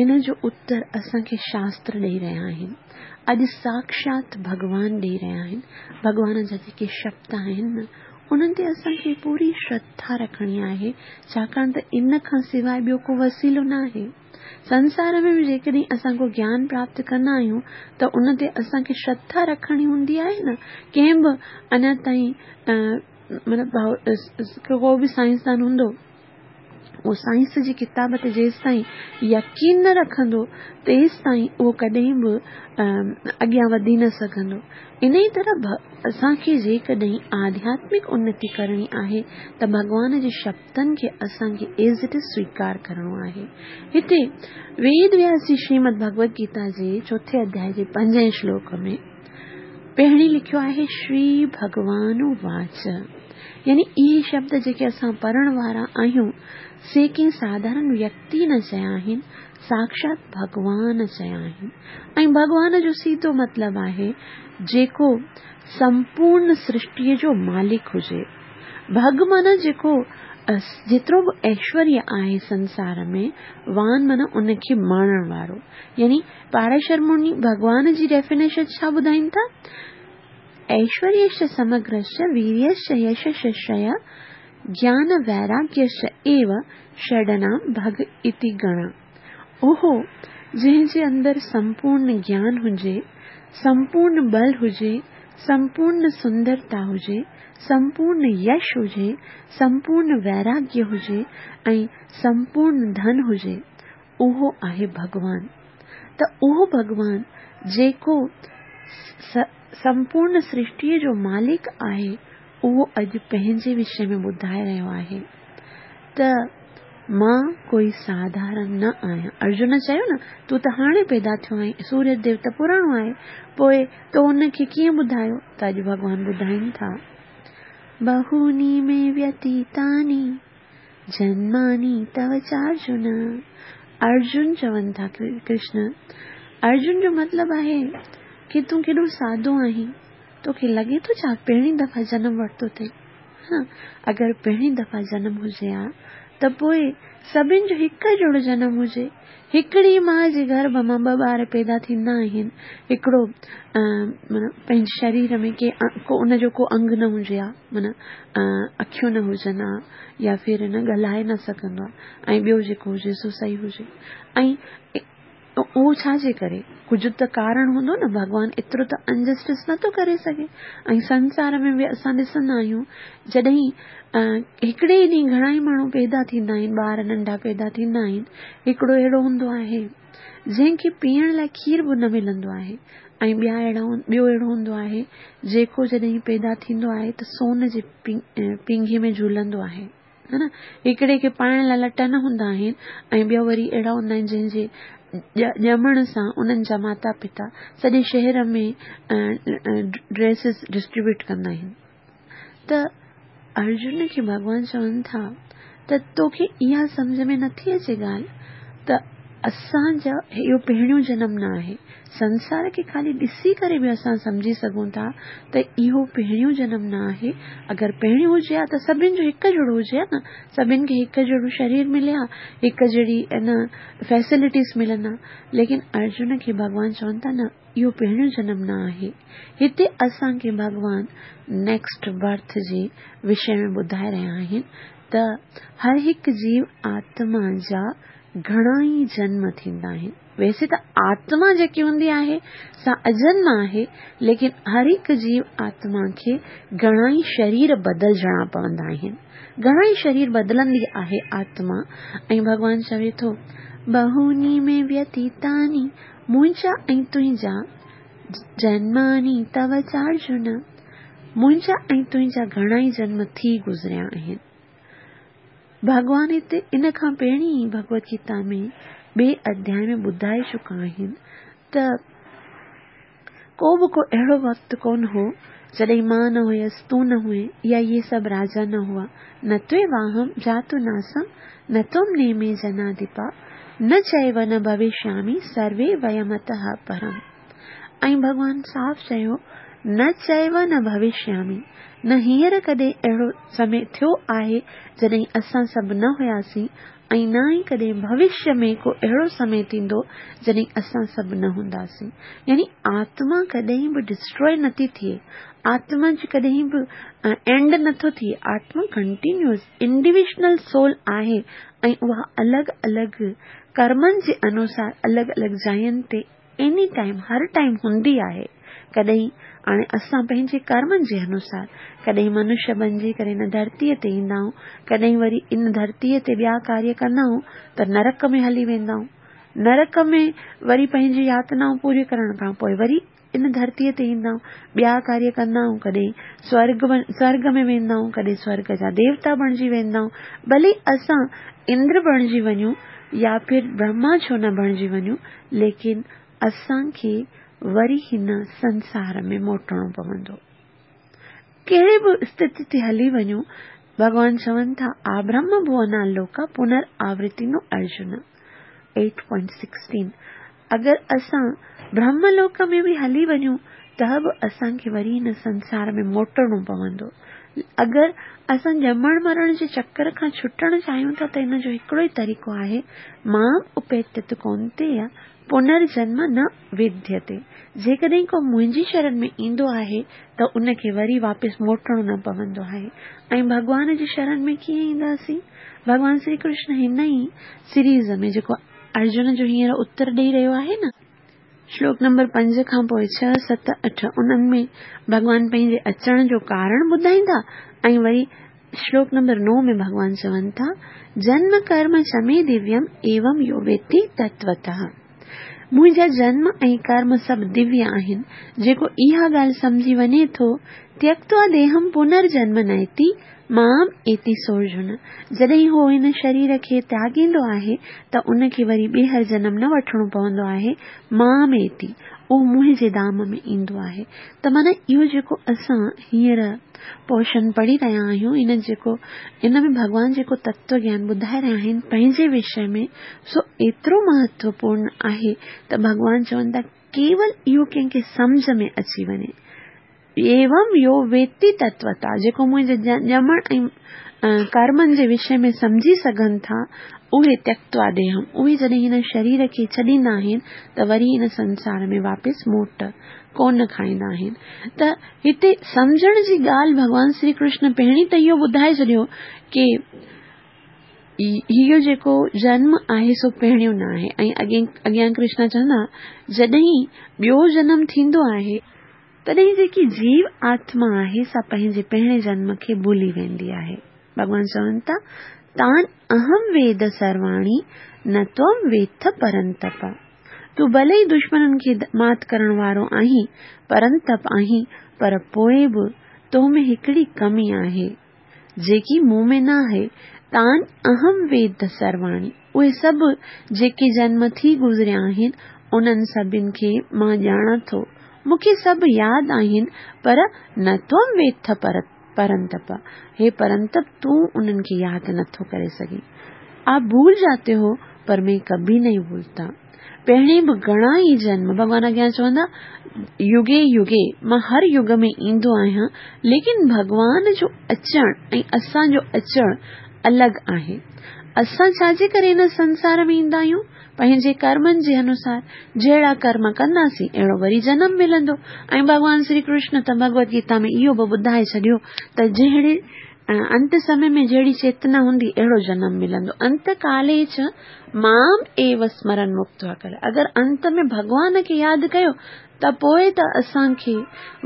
ان جو اتر اسان کي شاستر ڏيئي رهيا آهن، اڄ ساکشات ڀڳوان ڏيئي رهيا آهن. ڀڳوان جا جيڪي شبد آهن نه، انهن تي اسان کي پوري شرڌا رکڻي آهي، ڇاڪاڻ ته ان کان سواءِ ٻيو ڪو وسيلو نه آهي. سنسار ۾ به جيڪڏهن اسان ڪو گيان پراپت ڪندا آهيون ته ان تي اسان کي شرڌا رکڻي هوندي آهي نه. ڪنهن به اڃا تائين مطلب ڪو به سائنسدان هوندو، اهو سائنس جي ڪتاب تي جيستائين يقين نه رکندو تيستائين اهو ڪڏهن به اڳيان وڌي نه سگهندو. ان ئي طرح اسان کي جيڪڏهن آڌياتمڪ انتي ڪرڻي آهي ته ڀڳوان جي شبدن کي اسان کي ايز it is سويڪار ڪرڻو آهي. هتي ويد وياس جي شريمد ڀڳوت گيتا جي چوٿين اڌياءِ جي پنجين شلوڪ ۾ پهرين لکيو آهي شري ڀڳوان واچ، يعني اهي شبد جيڪي اسان پڙهڻ وارا آهيون سي ڪنهن ساڌارڻ ويڪتي نه چيا آهن، ساکشات ڀڳوان چيا آهن. ۽ ڀڳوان جو سڌو مطلب آهي جيڪو سمپورڻ سرشٽيءَ جو مالڪ هجي. ڀڳ معنيٰ جيڪو جيترو به ايشوريه آهي سنسار ۾، وان معنيٰ ان کي ماڻڻ وارو. يعني پاراشر مني ڀڳوان جي ڊيفينيشن ڇا ٻڌائين ٿا؟ ايشوريش سمگرش ويريش يشششي گيان ويراگيش ايو षडनाम भग इति गणा। ओहो जंहिं जे अंदरि संपूर्ण ज्ञान हुजे, संपूर्ण बल हुजे, संपूर्ण सुंदरता हुजे, संपूर्ण यश हुजे, संपूर्ण वैराग्य हुजे ऐं संपूर्ण धन हुजे, उहो आहे भॻवान। त उहो भॻवान जेको संपूर्ण सृष्टीअ जो मालिक आहे, उहो अॼु पंहिंजे विषय में ॿुधाए रहियो आहे त मां कोई साधारण न आहियां। अर्जुन चयो न, तूं त हाणे पैदा थियो आहीं, सूर्य देव त पुराणो आहे, पोइ तो उनखे कीअं ॿुधायो? त अॼु भॻवान ॿुधाइनि था, बहूनि मे व्यतीतानि जन्मानि तव चार्जुन। अर्जुन चवनि था कृष्ण, अर्जुन जो मतिलबु आहे की तूं केॾो सादो आहीं, तोखे लॻे थो छा पहिरीं दफ़ा जनम वरितो अथई? हा, अगरि पहिरीं दफ़ा जनम हुजे हा त पोइ सभिनि जो हिकु जहिड़ो जनम हुजे। हिकिड़ी माउ जे गर्भ मां ॿ ॿार पैदा थींदा आहिनि, हिकिड़ो माना पंहिंजे शरीर में के को उनजो को अंग न हुजे हा, माना अखियूं न हुजनि हा या फिर न ॻाल्हाए न सघंदो आहे, ऐं ॿियो जेको हुजे सो सही हुजे। ऐं उहो छाजे करे? कुझु त कारण हूंदो न, भॻवान एतिरो त अनजस्टिस नथो करे सघे। ऐं संसार में बि असां ॾिसंदा आहियूं, जॾहिं हिकिड़े ई ॾींहुं घणा ई माण्हू पैदा थींदा आहिनि, ॿार नंढा पैदा थींदा आहिनि, हिकिड़ो अहिड़ो हूंदो आहे जंहिंखे पीअण लाइ खीर बि न मिलंदो आहे, ऐं ॿिया अहिड़ा ॿियो अहिड़ो हूंदो आहे जेको जॾहिं पैदा थींदो आहे त सोन जे पींघे में झूलंदो आहे, हा न। हिकिड़े खे पाइण लाइ लटा न हूंदा आहिनि, ऐं ॿियो वरी अहिड़ा हूंदा आहिनि जंहिंजे ॼमण सां उन्हनि जा माता पिता सॼे शहर में ड्रेसिस डिस्ट्रीब्यूट कंदा आहिनि। त अर्जुन खे भॻवान चवनि था त तोखे इहा सम्झ में नथी अचे ॻाल्हि त असांजा इहो पहिरियों जनम न आहे। संसार खे ख़ाली ॾिसी करे बि असां सम्झी सघूं था त इहो पहिरियों जनम न आहे। अगरि पहिरियों हुजे हा त सभिनि जो हिकु जहिड़ो हुजे हा न, सभिनि खे हिकु जहिड़ो शरीर मिले हा, हिकु जहिड़ी न फैसिलिटीज़ मिलनि हा। लेकिन अर्जुन खे भॻवान चवनि था न, इहो पहिरियों जनम न आहे। हिते असांखे भॻवान नेक्स्ट बर्थ जे विषय में ॿुधाए रहिया आहिनि त हर हिकु जीव आत्मा जा घणा ई जन्म थींदा आहिनि। वैसे त आत्मा जेकी हूंदी आहे सा अजन्म आहे, लेकिन हर हिकु जीव आत्मा खे घणा ई शरीर बदिलजणा पवंदा आहिनि, घणा ई शरीर बदिलंदी आहे आत्मा। ऐं भॻवान चवे थो, बहूनि में व्यतीतानि मुंहिंजा ऐं तुंहिंजा जन्मानि तव चार्जुन, मुंहिंजा ऐं तुंहिंजा घणा ई जन्म थी गुज़रिया आहिनि। भॻवान हिते इन खां पहिरीं ई भगवत गीता में ॿिए अध्याय में ॿुधाए चुका आहिनि त को बि को अहिड़ो वक़्तु कोन हो جڏهن مان نه هيس، تون نه هئين يا اهي سڀ راجا نه هئا. نه त्वेवाहं जातु नासं न त्वं नेमे जनाधिपा نه چيو نه ڀوشيامي سروي ويمتः پرم. ۽ ڀڳوان صاف چيو، نه چيو نه ڀوشيامي، نه هينئر ڪڏهن اهڙو سمي ٿيو آهي جڏهن اسان سڀ نه هياسين ۽ نه ئي ڪڏهن ڀوشيه ۾ ڪو اهڙو سمي ٿيندو جڏهن اسان سڀ نه هونداسين. يعني آتما ڪڏهن به ڊسٽروء نٿي ٿئي، آتما جي ڪڏهن به اينڊ نٿو ٿئي. آتما ڪنٽينيوس انڊيويجوئل سول آهي ۽ اها الڳ الڳ ڪرمن جي انوسار الڳ الڳ جاين تي ايني ٽائيم هر ٽائيم هوندي آهي. ڪڏهن هاڻي اسان پنهنجي ڪرمن جي انوسار ڪڏهن منشيه بڻجي ڪري هن ڌرتيءَ تي ايندا آهيون، ڪڏهن وري ان ڌرتيءَ تي ٻيا ڪاريه ڪندا آهيون ته نرڪ ۾ هلي ويندا آهيون. نرڪ ۾ وري پنهنجي ياتنائون پوريون ڪرڻ کان پوءِ وري ان ڌرتيءَ تي ايندا آهيون، ٻيا ڪاريه ڪندا آهيون، ڪڏهن سورڳ سورڳ ۾ ويندا آهيون، ڪڏهن سورڳ جا ديوتا بڻجي ويندا آهيون. ڀلي اسان اندر بڻجي وڃون يا ڦر برهما ڇو نه بڻجي وڃون، ليڪن اسان کي وري هن سنسار ۾ موٽڻو پوندو. ڪهڙي به اسٿتي تي هلي وڃون، ڀڳوان چون ٿا آبرهم ڀونا لوڪا پنر آورتينو ارجن ايٽ پوائنٽ سڪسٽين. اگر اسان برهم لوڪ ۾ به هلي وڃون ته به اسان کي وري هن سنسار ۾ موٽڻو پوندو. اگر اسان ڄمڻ مرڻ جي چڪر کان ڇٽڻ چاهيون ٿا ته هن جو هڪڙو ئي طريقو آهي، مام اپيتت ڪونتييه پنرجنم نه وديتي. جيڪڏهن ڪو منهنجي شرڻ ۾ ايندو آهي ته ان کي وري واپس موٽڻو نه پوندو آهي. ۽ ڀڳوان جي شرڻ ۾ ڪيئن اينداسين؟ ڀڳوان شري ڪرشن هن ئي سيريز ۾ جيڪو ارجن جو هينئر اتر ڏيئي رهيو آهي نه، شلوڪ نمبر پنج کان پوءِ ڇهه ست اٺ، انهن ۾ ڀڳوان پنهنجي اچڻ جو ڪارڻ ٻڌائيندا ۽ وري شلوڪ نمبر نو ۾ ڀڳوان چون ٿا، جنم ڪرم چ مي دويم ايوم يو ويتي تتوتः. منهنجا جنم ۽ ڪرم سڀ دويه آهن. جيڪو اها ڳالهه سمجهي وڃي ٿو، تيڪتوا ديهم پنرجنم نيتي مام ايتي سورجن. جڏهن هو هن شرير کي تياڳيندو آهي ته ان کي وري ٻيهر جنم نه وٺڻو پوندو آهي. مام ايتي، اهو منهنجي ڌام ۾ ايندو آهي. ته معنيٰ اهو جيڪو اسان هينئر پورشن پڙهي رهيا آهيون، ان جيڪو ان ۾ ڀڳوان جيڪو تتو گيان ٻڌائي رهيا آهن پنهنجي وشي ۾، سو ايترو مهتوپورڻ آهي ته ڀڳوان چون ٿا ڪيول اهو ڪنهن کي سمجهه ۾ اچي وڃي. ايوم يو ويتي تتوتا، جيڪو منهنجي ڄمڻ ۽ ڪرمن جي وشي ۾ سمجهي سگهن ٿا، اهي تيڪتوا ديهم، اهي جڏهن هن شرير کي ڇڏيندا آهن ته وري هن سنسار ۾ واپس موٽ ڪونه کائيندا آهن. ته هتي سمجهڻ جي ڳالهه ڀڳوان شري ڪرشن پهرين ته اهو ٻڌائي ڇڏيو ڪه اهو جيڪو جنم آهي سو پهريون نه آهي. ۽ اڳي اڳيان ڪرشن چوندا جڏهن ٻيو جنم ٿيندو آهي تڏهن جيڪي جيو آتما آهي سا پنهنجي پهرين جنم کي ڀلي ويندي آهي. ڀڳوان چون ٿا تان اهم ويد سرواڻي نه त्वं ويٿ پرنتپ. تون ڀلي ئي دشمنن کي مات ڪرڻ وارو آهين، پرنتپ آهين، پر پوءِ به تو ۾ هڪڙي ڪمي آهي جيڪي مون ۾ نه آهي. تان اهم ويد سرواڻي، اهي سڀ جيڪي جنم ٿي گذريا آهن انهن سڀني کي مان ڄاڻان ٿو، مون کي سڀ ياد آهن، پر نه त्वं ويٿ پرنتپ. هي پرنتپ، تون انهن کي ياد نٿو ڪري سگهين. آپ ڀول جاتي هو پر مين ڪڀي نهين ڀولتا. پهرين به گهڻا ئي جنم ڀڳوان اڳيان چوندا يگي يگي مان هر يگ ۾ ايندو آهيان، ليڪن ڀڳوان جو اچڻ ۽ اسان جو اچڻ الڳ آهي. اسان ڇا جي ڪري هن سنسار ۾ ايندا آهيون؟ پنهنجي ڪرمن جي انوسار. جهڙا ڪرم ڪنداسين اهڙو وري جنم ملندو. ۽ ڀڳوان شري ڪرشن ته ڀڳوت گيتا ۾ اهو به ٻڌائي ڇڏيو ته جهڙي انت سمي ۾ جهڙي چيتنا هوندي اهڙو جنم ملندو. انت ڪالي چ مام ايو سمرن مڪتوا ڪر. اگر انت ۾ ڀڳوان کي ياد ڪيو ته پوءِ ته اسان کي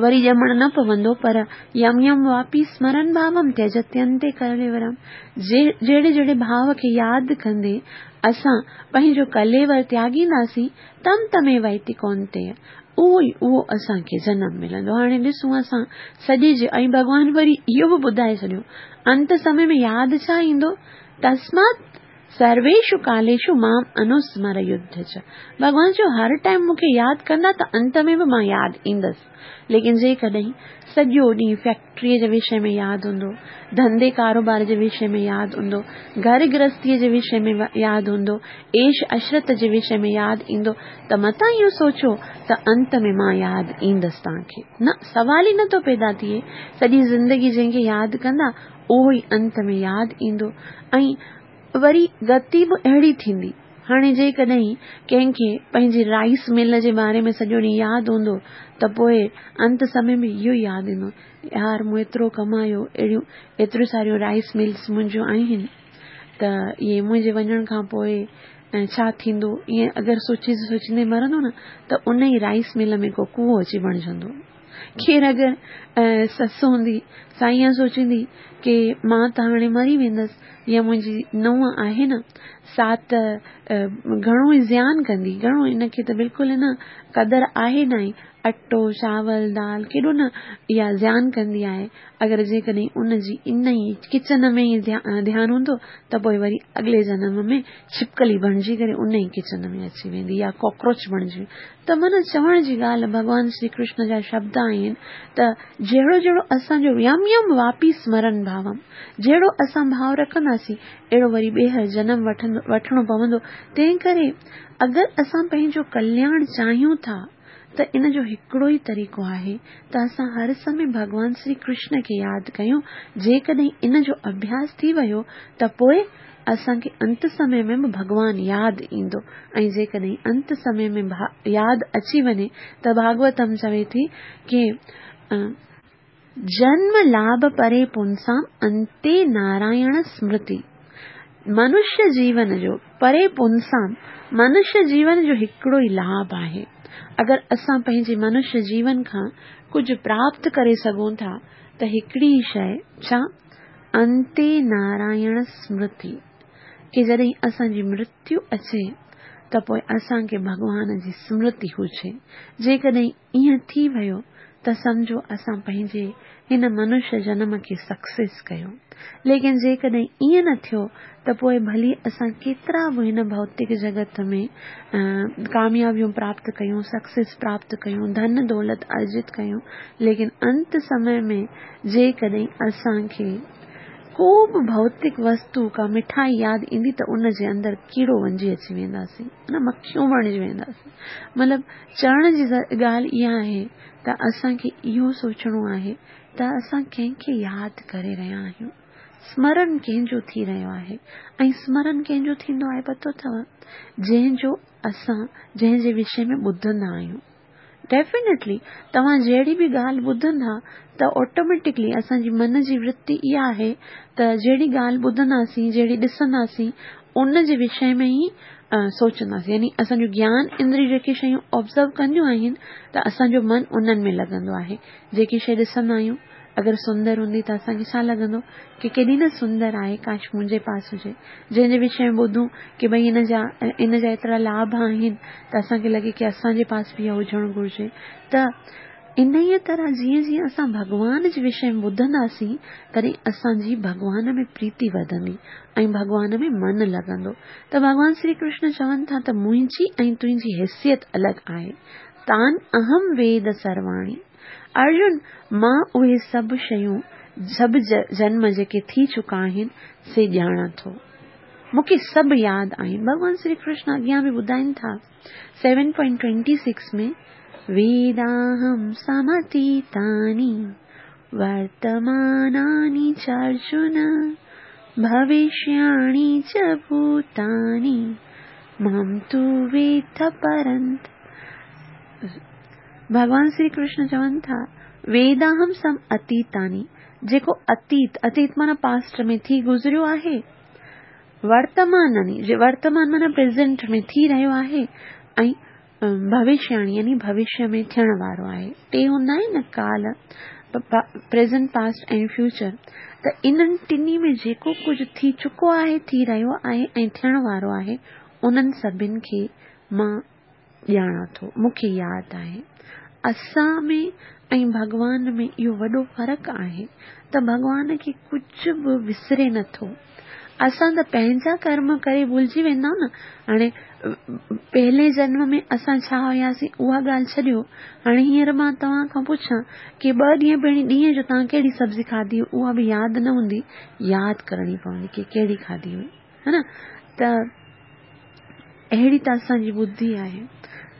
وري ڄمڻ نه پوندو، پر يم يم واپي سمرن ڀاوم تيجتينتي ڪليورم، جهڙي جهڙي ڀاو کي ياد ڪندي اسان پنهنجو ڪليور تياڳينداسين، تم تمي ويتي ڪونتي، اهو ئي اهو اسان کي جنم ملندو. هاڻي ڏسون اسان سڄي جي ۽ ڀڳوان وري اهو به ٻڌائي ڇڏيو انت سمي ۾ ياد ڇا ايندو؟ تسمات سرويشو ڪاليشو مام انوسمر يڌ چ. ڀڳوان چيو هر ٽائيم مون کي ياد ڪندا ته انت ۾ به مان ياد ايندس. ليڪن جيڪڏهن سڄو ڏينهن فيڪٽريءَ جي وشي ۾ ياد هوندو، ڌنڌي ڪاروبار جي وشي ۾ ياد هوندو، گهر گرهستيءَ جي وشي ۾ ياد هوندو، عيش عشرت جي وشي ۾ ياد ايندو، ته متان اهو سوچو ته انت ۾ مان ياد ايندس توهان کي. نه، سوال ئي نٿو پيدا ٿئي. سڄي زندگي جنهن کي ياد ڪندا اهو ئي انت ۾ ياد ايندو. ۽ وري گتي به اهڙي ٿيندي. هاڻي جيڪڏهن ڪنهن کي پنهنجي رائيس مل جي باري ۾ سڄو ڏينهن ياد هوندو ته پوءِ انت سمي ۾ اهو ياد ايندو، يار مون ايترو ڪمايو، اهڙيون ايتريون ساريون رائيس ملس منهنجون آهن، ته اهي منهنجي وڃڻ کان پوءِ ڇا ٿيندو؟ ائين اگر سوچي سوچيندي مرندو نه ته ان ئي رائيس مل ۾ ڪو ڪوئو اچي بڻجندو. ڪير اگر سس هوندي سا ائين سوچيندي ڪه مان ته هاڻي مري ويندس، يا منهنجي ننهن آهي نه سا ته گهڻو ئي زيان ڪندي، گهڻو ان کي ته بلڪل نه قدر آهي نه ئي، اٽو چاول دال ڪيڏو نه اها زيان ڪندي آهي. اگر جيڪڏهن ان جي ان ئي ڪچن ۾ ئي ڌيان هوندو ته پوءِ وري اڳلي جنم ۾ ڇپڪلي بڻجي ڪري ان ئي ڪچن ۾ اچي ويندي يا ڪاڪروچ بڻجي. ته معنيٰ چوڻ جي ڳالهه ڀڳوان شري ڪرشن جا شبد آهن ته جهڙو جهڙو اسان جو يم يم واپي سمرن ڀاوم، جهڙو اسان ڀاو رکنداسين اهڙو وري ٻيهر جنم وٺندو وٺڻو پوندو. تنهن ڪري اگر اسان پنهنجو ڪلياڻ چاهيون ٿا ته ان جو هڪڙو ئي طريقو آهي ته اسان هر سمي ڀڳوان شري ڪرشن کي ياد ڪيون. جيڪڏهن ان جو اڀياس ٿي ويو ته پوءِ اسان کي انت سمي ۾ به ڀڳوان ياد ايندو. ۽ جيڪڏهن انت سمي ۾ ياد اچي وڃي ته ڀاڳوتم چوي ٿي ڪه جنم لاڀ پري پنسام انتي نارائڻ سمرتي. منشيه جيون جو پري پنسام، منشيه جيون جو هڪڙو ئي لاڀ آهي. اگر اسان پنهنجي منشيه جيون کان ڪجهه پراپت ڪري سگهون ٿا ته هڪڙي ئي شيءِ، ڇا؟ انتي نارائڻ سمرتي. ڪه جڏهن اسان جي مرتيو اچي ته پوءِ اسان کي ڀڳوان جي سمرتي هجي. جيڪڏهن ائين ٿي ويو ته سمجهو اسان پنهنجي هن منشيه جنم کي سڪسيس ڪيو. ليڪن جيڪڏهن ائين نه ٿيو ته پوءِ ڀلي اسان ڪيترا به هن ڀوتڪ جڳت ۾ ڪاميابيون پراپت ڪيون، سڪسيس پراپت ڪيون، ڌن دولت ارجت ڪيون، ليڪن انت سمي ۾ جيڪڏهن اسان کي ڪو به ڀوتڪ وستو ڪا مٺائي ياد ايندي ته ان جي اندر ڪيڙو وڃي اچي وينداسين، نه مکيون بڻجي وينداسين. مطلب چوڻ جي ڳالهه اها آهي ته اسان کي اهو سوچڻو آهي ته اسان ڪنهن کي ياد ڪري رهيا آهيون، سمرن ڪنهن جو ٿي رهيو آهي. ۽ سمرن ڪنهن جو ٿيندو آهي پتو اٿو؟ جنهن جو اسان جنهن جي وشي ۾ ٻڌندا آهيون. ڊيفينيٽلي توهان جهڙي به ڳالهه ٻڌندا ته آٽوميٽڪلي اسان جي من جي ورتي اها آهي ته جهڙي ڳالهه ٻڌنداسين، جهڙي ڏسنداسين، ان جي وشي ۾ ئي سوچنداسين. يعني اسان جو گيان اندري جيڪي شيون آبزرو ڪنديون آهن ته اسان جو من انهن ۾ لڳندو آهي. جيڪي شيءِ ڏسندا آهيون اگر سندر هوندي ته اسان کي ڇا لڳندو ڪه ڪيڏي نه سندر آهي، ڪاش منهنجي پاس هجي. جنهن جي وشي ۾ ٻڌون ڪه ڀئي ان جا ان جا ايترا لاڀ آهن ته اسان کي لڳي ڪه اسان جي پاس به اها هجڻ گهرجي. ته انهيءَ طرح جيئن جيئن اسان ڀڳوان جي وشي ۾ ٻڌنداسين تڏهن اسان جي ڀڳوان ۾ پريتي وڌندي ۽ ڀڳوان ۾ من لڳندو. ته ڀڳوان شري ڪرشن چون ٿا ته منهنجي ۽ تنهنجي حيثيت الڳ آهي. تان اهم ويد سرواڻي. ارجن، مان اهي سڀ شيون، سڀ جنم جيڪي ٿي چڪا آهن سي ڄاڻان ٿو، مون کي سڀ ياد آهن. ڀڳوان شري ڪرشن اڳيان به ٻڌائين ٿا سيون پوائنٽ ٽوئنٽي سڪس ۾ ويداهم سمتيتاني ورتماناني چ ارجن ڀوشياڻي چ ڀوتاني مام تو ويٿ پرنت. ڀڳوان شري ڪرشن چون ٿا ويداهم سم اتيتاني، جيڪو اتيت، اتيت معنيٰ پاسٽ ۾ ٿي گذريو آهي، ورتماناني، ورتمان معنيٰ پريزنٽ ۾ ٿي رهيو آهي، ۽ ڀوشياڻي يعني ڀوشيه ۾ ٿيڻ وارو آهي. ٽي هوندا آهن نه ڪال، پريزنٽ، پاسٽ ۽ فيوچر. ته انهن ٽنهي ۾ جيڪو ڪجهه ٿي چڪو آهي، ٿي رهيو آهي ۽ ٿيڻ وارو آهي، انهن سڀني کي مان ڄاڻان ٿو، مون کي ياد آهي. اسان ۾ ۽ ڀڳوان ۾ اهو وڏو فرق آهي ته ڀڳوان کي ڪجهه به وسري نٿو. اسان ته پنهنجا ڪرم ڪري ڀلجي ويندا آهيون نه. هاڻي پهلي جنم ۾ اسان ڇا هئاسين اها ڳالهه ڇڏيو، هاڻي هينئر مان توهان کان پڇان ڪه ٻه ڏينهن پهرين ڏينهن جو توهان ڪهڙي سبزي کاڌي هئي، اها به ياد نه هوندي، ياد ڪرڻي پوندي ڪه ڪهڙي کاڌي هئي، ها نه؟ ته اهڙي ته اسان جي ٻڌي آهي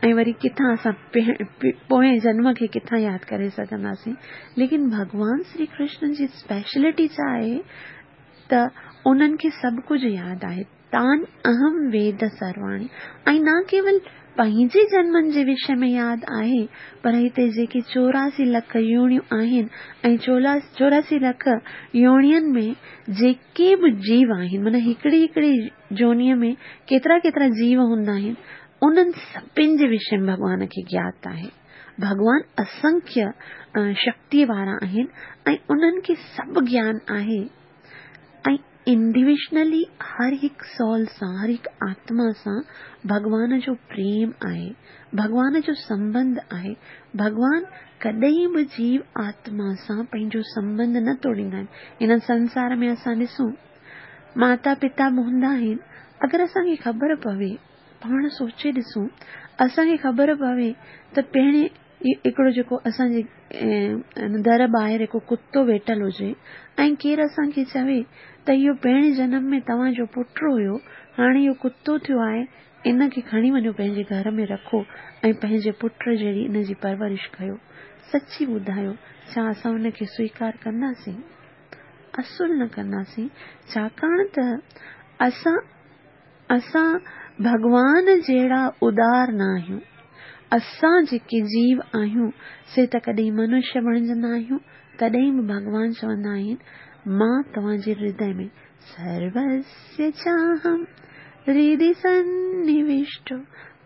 ۽ وري ڪٿان اسان پوئين جنم کي ڪٿان ياد ڪري سگهنداسين. ليڪن ڀڳوان شري ڪرشن جي اسپيشلٽي ڇا آهي ته انهن کي سڀ ڪجهه ياد آهي. تان اهم ويد سرواڻي، ۽ نه ڪيول پنهنجي جنمن جي وشي ۾ ياد آهي، پر هتي جيڪي چوراسي لک يونيون آهن ۽ چوراسي لک يونين ۾ جيڪي به جيو آهن، معنيٰ هڪڙي هڪڙي جونيءَ ۾ ڪيترا ڪيترا جيو هوندا آهن، انهن سڀني جي وشي ۾ ڀڳوان کي گيات آهي. ڀڳوان اسنکيه شڪتيءَ وارا آهن ۽ انهن کي سڀ گيان آهي. ۽ انڊيويجوئلي هر هڪ سول سان، هر هڪ آتما سان ڀڳوان جو پريم آهي، ڀڳوان جو سنٻنڌ آهي. ڀڳوان ڪڏهن به جيو آتما سان پنهنجو سنٻنڌ نه توڙيندا آهن. هن سنسار ۾ اسان ڏسون ماتا پتا به هوندا آهن، اگر اسان کي خبر پوي، پاڻ سوچي ڏسون، اسان کي خبر پوي ته پهرين هڪڙو جيڪو اسان جي در ٻاهر هڪ ڪتو ويٺل هجي ۽ ڪير اسان کي چوي ته اهو پهرين جنم ۾ توهان جو پٽ هيو، هاڻي اهو ڪتو ٿيو آهي، ان کي کڻي وڃو پنهنجي گهر ۾ رکو ۽ پنهنجي پٽ جهڙي ان جي پرورش ڪيو. سچي ٻڌايو، ڇا اسان ان کي سويڪار ڪنداسين؟ اصل نه ڪنداسين. ڇاڪاڻ ته اسان اسان ڀڳوان جهڙا ادار نه آهيون. اسان جيڪي جيو آهيون سي ته ڪڏهن منشيه بڻجندا آهيون، تڏهن به ڀڳوان چوندا آهن مان توهان جي هردي ۾ سروسيه چاهم هردي سنوشٽو،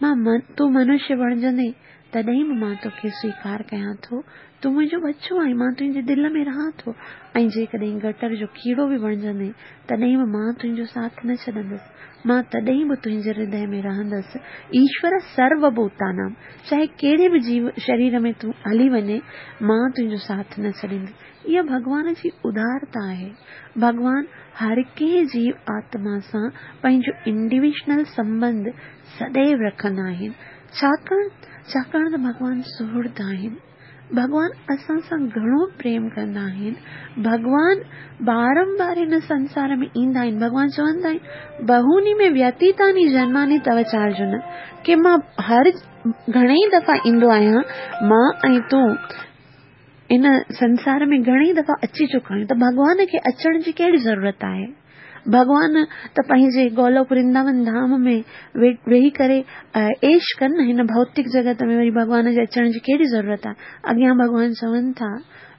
مان تون منشيه بڻجندي تڏهن به مان توکي سويڪار ڪيان ٿو، تون منهنجو ٻچو آهين، مان تنهنجي دل ۾ رهان ٿو. ۽ جيڪڏهن گٽر جو ڪيڙو به بڻجندي تڏهن به مان تنهنجو ساٿ نه ڇڏندس، مان تڏهن به تنهنجي هردي ۾ رهندس. ايشور سروڀوتانام، چاهي ڪهڙي به جيو شرير ۾ تون هلي وڃي، مان تنهنجو ساٿ نه ڇڏيندس. اها ڀڳوان جي ادارتا آهي. ڀڳوان هر ڪنهن جيو آتما سان پنهنجو انڊيويجوئل سنٻنڌ سديو رکندا آهن. ڇاڪاڻ ڇاڪاڻ ته ڀڳوان سهرد آهن، ڀڳوان اسان سان گهڻو پريم ڪندا آهن. ڀڳوان بارمبار هن سنسار ۾ ايندا آهن. ڀڳوان چوندا آهن بهوني ۾ ويتيتاني جنماني تو چارجن، ڪه مان هر گهڻي ئي دفعا ايندو آهيان، مان ۽ تون ان سنسار ۾ گهڻي ئي دفعا اچي چڪا آهيون، ته ڀڳوان کي اچڻ جي ڪهڙي ضرورت آهي؟ ڀڳوان ته پنهنجي گولوڪ ورنداون ڌام ۾ ويهي ڪري عيش ڪن نه، هن ڀوتڪ جڳت ۾ وري ڀڳوان جي اچڻ جي ڪهڙي ضرورت آهي؟ اڳيان ڀڳوان چون ٿا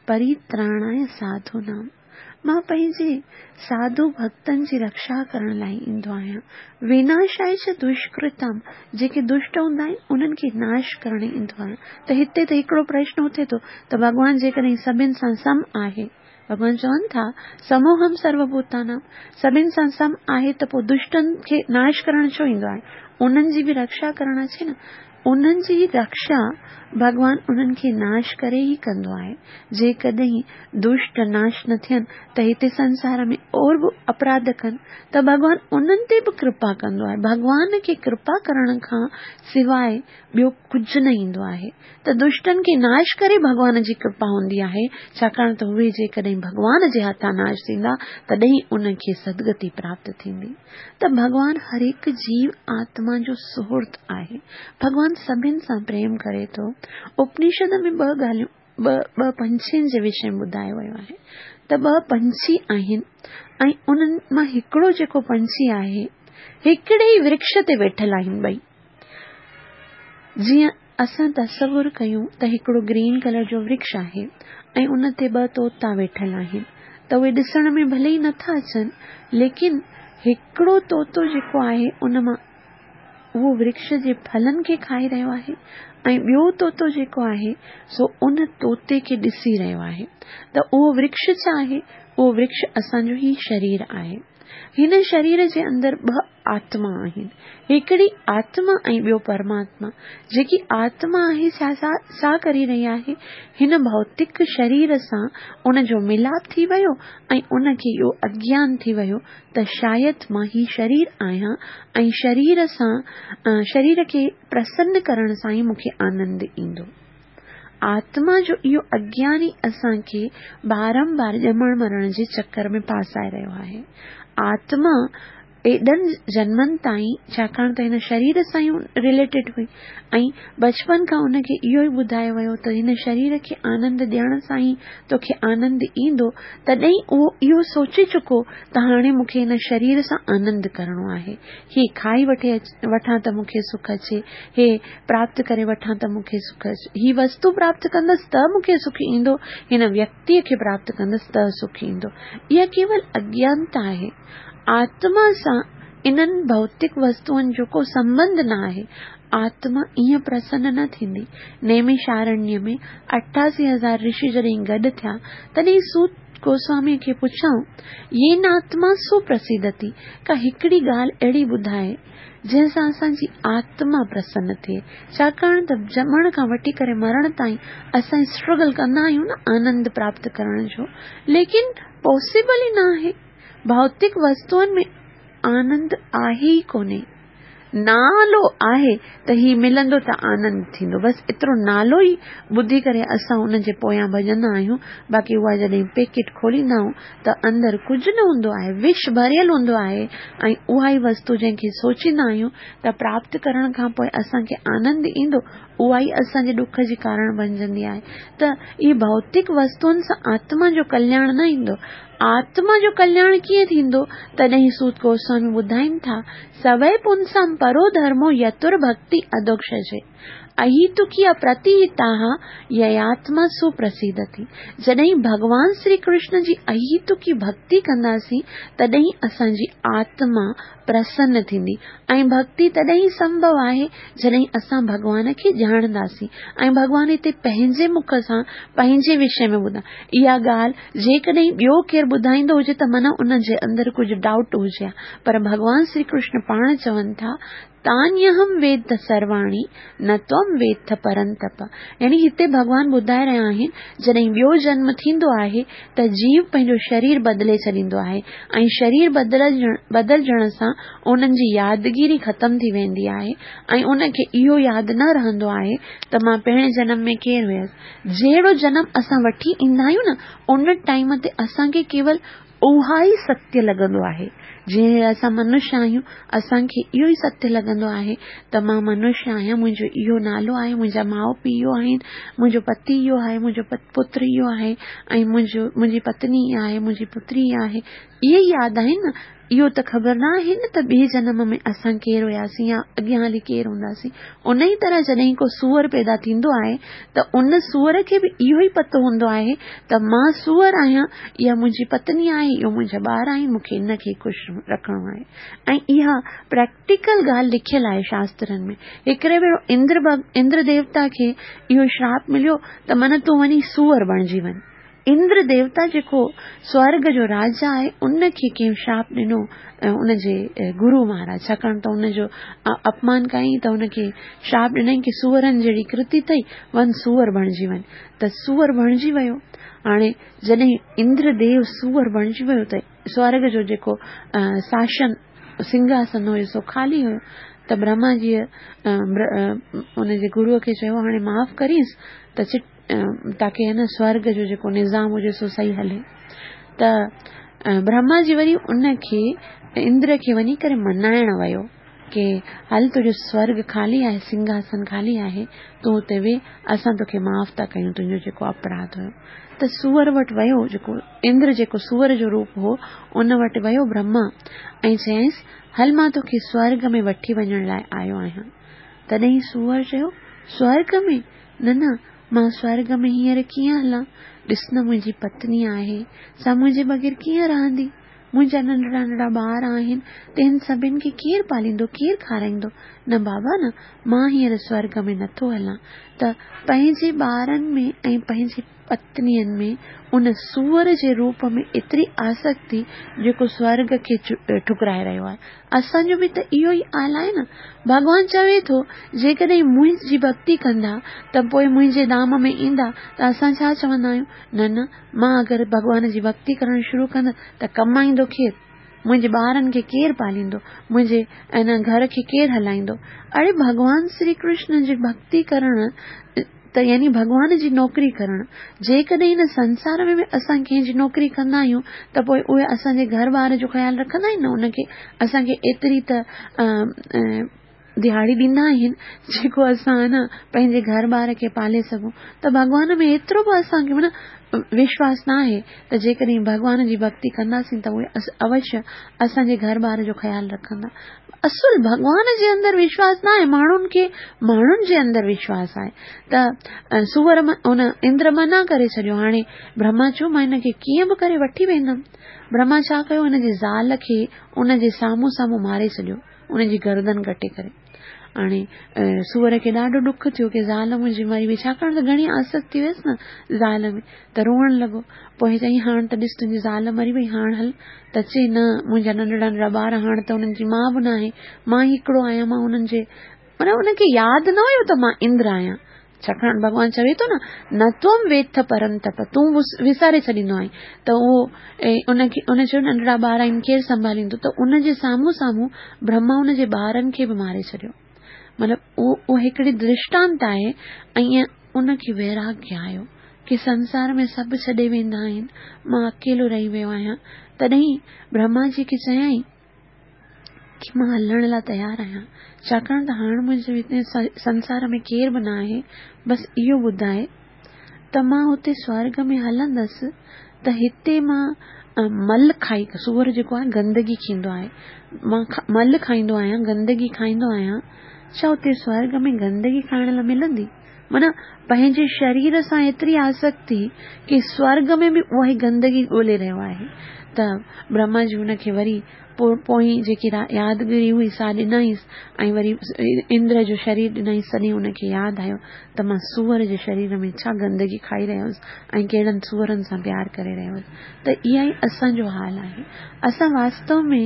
پرتراڻاي ساڌو نام، مان پنهنجي ساڌو ڀڳتن جي رڪشا ڪرڻ لاءِ ايندو آهيان. وناشاءِ چ دشڪرتم، جيڪي دشٽ هوندا آهن انهن کي ناش ڪرڻ ايندو آهيان. ته هتي ته هڪڙو پرشن اٿي ٿو ته ڀڳوان جيڪڏهن سڀني سان سم آهي، ڀڳوان چون ٿا سموهم سروڀوتانام، سڀني سان سم آهي ته پوءِ دشٽن کي ناش ڪرڻ ڇو ايندو آهي؟ انهن جي به رڪشا ڪرڻ اچي نه. انهن جي رڪشا ڀڳوان انهن کي ناش ڪري ئي ڪندو آهي. جيڪڏهن دشٽ ناش نه ٿين ته هتي سنسار ۾ اور به اپراڌ ڪن ته ڀڳوان انهن تي به ڪرپا ڪندو آهي. ڀڳوان کي ڪرپا ڪرڻ کان سواءِ ٻيو ڪجهه نه ايندو آهي. ته دشٽن کي ناش ڪري ڀڳوان جي ڪرپا هوندي آهي، ڇاڪاڻ ته اهي جيڪڏهن ڀڳوان جي هٿان ناش ٿيندا تڏهن ان کي سدگتي پراپت ٿيندي. ته ڀڳوان هر هڪ جيو آتما جو سهرد آهي. ڀڳوان سڀني سان پريم ڪري ٿو. اپنشد ۾ ٻه ڳالهيون ٻه ٻه پنڇين جي وشي ۾ ٻڌايو ويو آهي ته ٻه پنڇي آهن ۽ انهن مان هڪڙو جيڪو پنڇي آهي هڪڙي ئي ورڪش تي ويٺل آهن ٻئي. جيئن اسان تصور ڪيون ته هڪڙو گرين ڪلر جو ورڪش آهي ۽ ان تي ٻه طوطا ويٺل آهن، ته اهي ڏسڻ ۾ ڀلي ئي نٿا اچن، ليڪن هڪڙو طوطو جيڪو آهي ان مان اهو ورڪش جي ڦلن کي کائي رهيو آهي ۽ ٻيو طوطو جيڪو آهي سو ان طوطي کي ڏسي رهيو آهي. ته اهو ورڪش ڇا آهي؟ اهو ورڪش اسان جو هي شرير آهي. هن شرير جي اندر ٻه آتما آهن، هڪڙي آتما ۽ ٻيو پرماتما. جيڪي آتما آهي سا ڇا ڪري رهي آهي؟ هن ڀوتڪ شرير سان ان جو ملاپ ٿي ويو ۽ ان کي اهو اگيان ٿي ويو ته شايد مان هي شرير آهيان ۽ شرير سان شرير کي پرسن ڪرڻ سان ئي مون کي آنند ايندو. آتما جو اهو اگيان ئي اسان کي بارمبار ڄمڻ مرڻ جي چڪر ۾ ڦاسائي رهيو آهي. آتما ايڏن جنمن تائين ڇاڪاڻ ته هن شرير سان ئي رليٽيڊ هئي ۽ بچپن کان ان کي اهو ئي ٻڌايو ويو ته هن شرير کي آنند ڏيڻ سان ئي توکي آنند ايندو، تڏهن اهو اهو سوچي چڪو ته هاڻي مون کي هن شرير سان آنند ڪرڻو آهي. هي کائي وٺي وٺان ته مون کي سک اچي، هي پراپت ڪري وٺان ته مون کي سک اچي، هي وستو پراپت ڪندس ته مون کي سک ايندو، هن ويڪتيء کي پراپت ڪندس ته سک ايندو. اها ڪيول اگيانتا آهي. آتما سان انهن ڀوتڪ وستوئن جو ڪو سنٻنڌ نه آهي. آتما ائين پرسن نه ٿيندي. نيميشارڻيه ۾ اٺاسي هزار رشي جڏهن گڏ ٿيا، تڏهن سوت گوسواميء کي پڇيائون، يين آتما سپرسيدتي، ڪا هڪڙي ڳالهه اهڙي ٻڌاء، جنهن سان اسان جي آتما پرسن ٿئي. ڇاڪاڻ ته ڄمڻ کان وٺي ڪري مرڻ تائين اسان اسٽرگل ڪندا آهيون نه آنند پراپت ڪرڻ جو، ليڪن پاسيبل ئي نه آهي. ڀوتڪ وستوئن ۾ آنند آهي ئي ڪونهي. نالو آهي ته هي ملندو ته آنند ٿيندو، بس ايترو نالو ئي ٻڌي ڪري اسان ان جي پويان ڀڄندا آهيون. باقي اها جڏهن پيڪيٽ کوليندا آهيون ته اندر ڪجهه نه هوندو آهي، وش ڀريل هوندو آهي ۽ اها ئي وستو جنهن کي سوچيندا آهيون ته پراپت ڪرڻ کان پوء اسان کي آنند ايندو، اها ئي اسان جي ڏک جي ڪارڻ بنجندي آهي. ته اهي ڀوتڪ وستوئن سان آتما جو ڪلياڻ نه ايندو. آتما جو ڪلياڻ ڪيئن ٿيندو؟ تڏهن سوت گوسوامي ٻڌائين ٿا، سوئي پنسام پرو ڌرمو يتر ڀڳتي اڌوڪشجي، اهيتڪي اپرتيهتاها يياتما سپرسيدتي. جڏهن ڀڳوان شري ڪرشن جي اهيتڪي ڀڳتي ڪنداسين، تڏهن اسان جي آتما پرسن ٿيندي ۽ ڀڳتي تڏهن ئي سنڀو آهي جڏهن اسان ڀڳوان کي ڄاڻنداسين ۽ ڀڳوان هتي پنهنجي مک سان پنهنجي وشي ۾ ٻڌا. اها ڳالهه جيڪڏهن ٻيو ڪير ٻڌائيندو هجي ته من ان جي اندر ڪجهه ڊائوٽ هجي ها، پر ڀڳوان شري ڪرشن پاڻ چون ٿا، تانيهم ويد سرواڻي نه تم ويد پرنتپ. يعني هتي ڀڳوان ٻڌائي رهيا آهن جڏهن ٻيو جنم ٿيندو آهي ته جيو پنهنجو شرير بدلي ڇڏيندو آهي ۽ شرير بدلجڻ بدلجڻ سان انهن جي يادگيري ختم ٿي ويندي آهي ۽ ان کي اهو ياد نه رهندو آهي ته مان پهرين جنم ۾ ڪير هيس. جهڙو جنم اسان وٺي ايندا آهيون نه، ان ٽائيم تي اسان کي ڪيول اها ئي ستيه لڳندو آهي. جيئن اسان منشيه آهيون، اسان کي اهو ئي ستيه لڳندو آهي ته مان منشيه آهيان، منهنجو اهو نالو آهي، منهنجا ماء پيء اهو آهن، منهنجو پتي اهو آهي، منهنجو پتر اهو آهي ۽ منهنجو منهنجي پتني اها آهي، منهنجي پتري اها آهي. اهي ئي ياد آهن نه. اهو ته خبر نه آهي نه ته ٻئي جنم ۾ اسان ڪير هياسين يا اڳيان هلي ڪير هونداسين. ان ئي طرح جڏهن ڪو سوئر پيدا ٿيندو آهي ته ان سوئر کي به اهو ئي پتو هوندو آهي ته مان سوئر آهيان، اها منهنجي پتني آهي، اهو منهنجا ٻار آهن، مون کي ان کي خوش رکڻو آهي. ۽ اها پريڪٽيڪل ڳالهه لکيل آهي شاسترن ۾. هڪڙي ڀيرو اندر اندر ديوتا کي اهو شراپ مليو ته من تون وڃي سوئر بڻجي وڃ. اندر ديوتا جيڪو سورڳ جو راجا آهي ان کي ڪنهن شراپ ڏنو ان جي گرو مهاراج، ڇاڪاڻ ته ان جو اپمان ڪيائين ته ان کي شراپ ڏنائين ڪي سوئرن جهڙي ڪرتي اٿئي، وڃ سوئر بڻجي وڃ. ته سوئر بڻجي ويو. هاڻي جڏهن اندر ديو سوئر بڻجي ويو ته سورڳ جو جيڪو ساشن سنگهاسن هيو سو خالي هيو. ته برهما جيء ان جي گروء کي چيو هاڻي معاف ڪرينس ته چٽ تاڪه هن سورڳ جو جيڪو نظام هجي سو صحيح هلي. ته برهما جي وري ان کي اندر کي وڃي ڪري منائڻ ويو ڪي هل تنهنجو سورڳ خالي آهي، سنگهاسن خالي آهي، تون اتي ويهه، اسان توکي معاف ٿا ڪيون تنهنجو جيڪو اپراڌ هيو. ته سوئر وٽ ويو، جيڪو اندر جيڪو سوئر جو روپ هو ان وٽ ويو برهما ۽ چيائينس هل مان توکي سورڳ ۾ وٺي وڃڻ لاء آيو آهيان. تڏهن سوئر چيو سورڳ ۾ نه نه، مان سورڳ ۾ هينئر ڪيئن هلان؟ ڏس نه منهنجي پتني آهي، سا منهنجي بغير ڪيئن رهندي؟ منهنجا ننڍڙا ننڍڙا ٻار آهن، تن سڀن کي ڪير پاليندو، ڪير کارائيندو؟ نه بابا نه، مان هينئر سورڳ ۾ نٿو هلان. ته پنهنجي ٻارن ۾ ۽ پنهنجي پتنين ۾ ان سوئر جي روپ ۾ ايتري آسڪتي جيڪو سورڳ کي ٺڪرائي رهيو آهي. اسان جو به ته اهو ئي حال آهي نه. ڀڳوان چوي ٿو جيڪڏهن منهنجي ڀڳتي ڪندا ته پوء منهنجي ڌام ۾ ايندا ته اسان ڇا چوندا آهيون؟ نه نه، مان اگر ڀڳوان جي ڀڳتي ڪرڻ شروع ڪندس ته ڪمائيندو ڪير؟ منهنجي ٻارن کي ڪير پاليندو؟ منهنجي ان گهر کي ڪير هلائيندو؟ اڙي ڀڳوان شري ڪرشن جي ڀڳتي ڪرڻ ته يعني ڀڳوان جي نوڪري ڪرڻ. جيڪڏهن هن سنسار ۾ به اسان ڪنهن جي نوڪري ڪندا آهيون ته پوء اهي اسان جي گهر ٻار جو خيال رکندا آهن نه، ان کي اسان کي ايتري ته دهاڙي ڏيندا آهن جيڪو اسان نه پنهنجي گهر ٻار کي پالي سگهون. ته ڀڳوان ۾ ايترو به اسان کي معنيٰ وشواس نه آهي ته جيڪڏهن ڀڳوان جي ڀڳتي ڪنداسين ته اهي اوشيه اسان جي گهر ٻار جو خيال رکندا. اصل ڀڳوان جي اندر وشواس نه آهي، ماڻهن کي ماڻهن جي اندر وشواس آهي. ته سوئر ان اندر منع ڪري ڇڏيو. هاڻي برهما چيو مان هن کي ڪيئن به ڪري وٺي ويندم. برهما ڇا ڪيو، هن جي زال کي ان جي سامهون سامهون ماري ڇڏيو، ان جي گردن ڪٽي ڪري. هاڻي سوئر کي ڏاڍو ڏک ٿيو ڪه زال منهنجي مري وئي، ڇاڪاڻ ته گهڻي آسڪتي هيس نه زال ۾، ته روئڻ لڳو. پوءِ چيائين هاڻ ته ڏس تنهنجي زال مري وئي، هاڻ هل. ته چئي نه، منهنجا ننڍڙا ننڍڙا ٻار، هاڻ ته انهن جي ماءُ به نه آهي، مان ئي هڪڙو آهيان، مان انهن جي معنيٰ ان کي ياد نه هيو ته مان اندر آهيان. ڇاڪاڻ ڀڳوان چوي ٿو نه، نه تم ويٿ پرنتپ، تون وساري ڇڏيندو آهين. ته اهو ان کي ان چيو ننڍڙا ٻار آهن ڪير سنڀاليندو؟ ته ان جي سامهون سامهون برهما ان جي ٻارن کي به ماري ڇڏيو. مطلب اهو اهو هڪڙي درشٽانت آهي. ۽ ان کي ويراگيه آيو ڪه سنسار ۾ سڀ ڇڏي ويندا آهن، مان اڪيلو رهي ويو آهيان. تڏهن برهما جي کي چيائين ڪه مان هلڻ لاءِ تيار آهيان، ڇاڪاڻ ته هاڻ منهنجي هتي سنسار ۾ ڪير به نه آهي. بس اهو ٻڌائي ته مان هتي سورڳ ۾ هلندس ته هتي مان مل کائي، سوئر جيڪو آهي گندگي کيندو آهي، مان مل کائيندو آهيان، گندگي کائيندو آهيان، ڇا هتي سورڳ ۾ گندگي کائڻ لاءِ ملندي؟ معنيٰ پنهنجي شرير سان ايتري آسڪتي ڪه سورڳ ۾ به اها ئي گندگي ڳولهي رهيو آهي. ته برهما جي هن کي وري پوءِ پوئين جيڪي يادگيري هئي سا ڏنائينس ۽ وري اندر جو شرير ڏنائينس. تڏهن هن کي ياد آيو ته مان سوئر جي شرير ۾ ڇا گندگي کائي رهيو هئس ۽ ڪهڙن سوئرن سان پيار ڪري رهيو هئس. ته اها ئي اسان جو حال آهي. اسان واستو ۾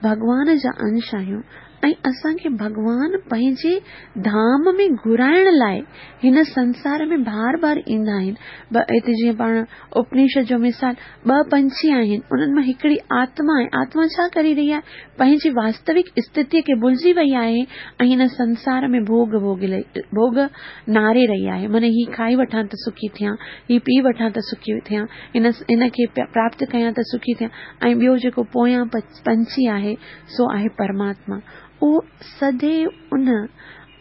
ڀڳوان جا انش آهيون ۽ اسان کي ڀڳوان پنهنجي ڌام ۾ گهرائڻ لاءِ هن سنسار ۾ بار بار ايندا آهن. هتي جيئن پاڻ اپنشد جو مثال، ٻه پنڇي آهن، انهن مان هڪڙي آتما آهي. آتما ڇا ڪري رهي آهي؟ پنهنجي واستوڪ اسٿتيءَ کي ڀلجي وئي آهي ۽ هن سنسار ۾ ڀوڳ ڀوڳ ڀوڳ ناري رهي آهي. معنيٰ هي کائي وٺان ته سکي ٿيان، هي پي وٺان ته سکي ٿيان، هن هن کي پراپت ڪيان ته سکي ٿيان. ۽ ٻيو جيڪو پويان پنڇي آهي سو آهي پرماتما. اهو سديو ان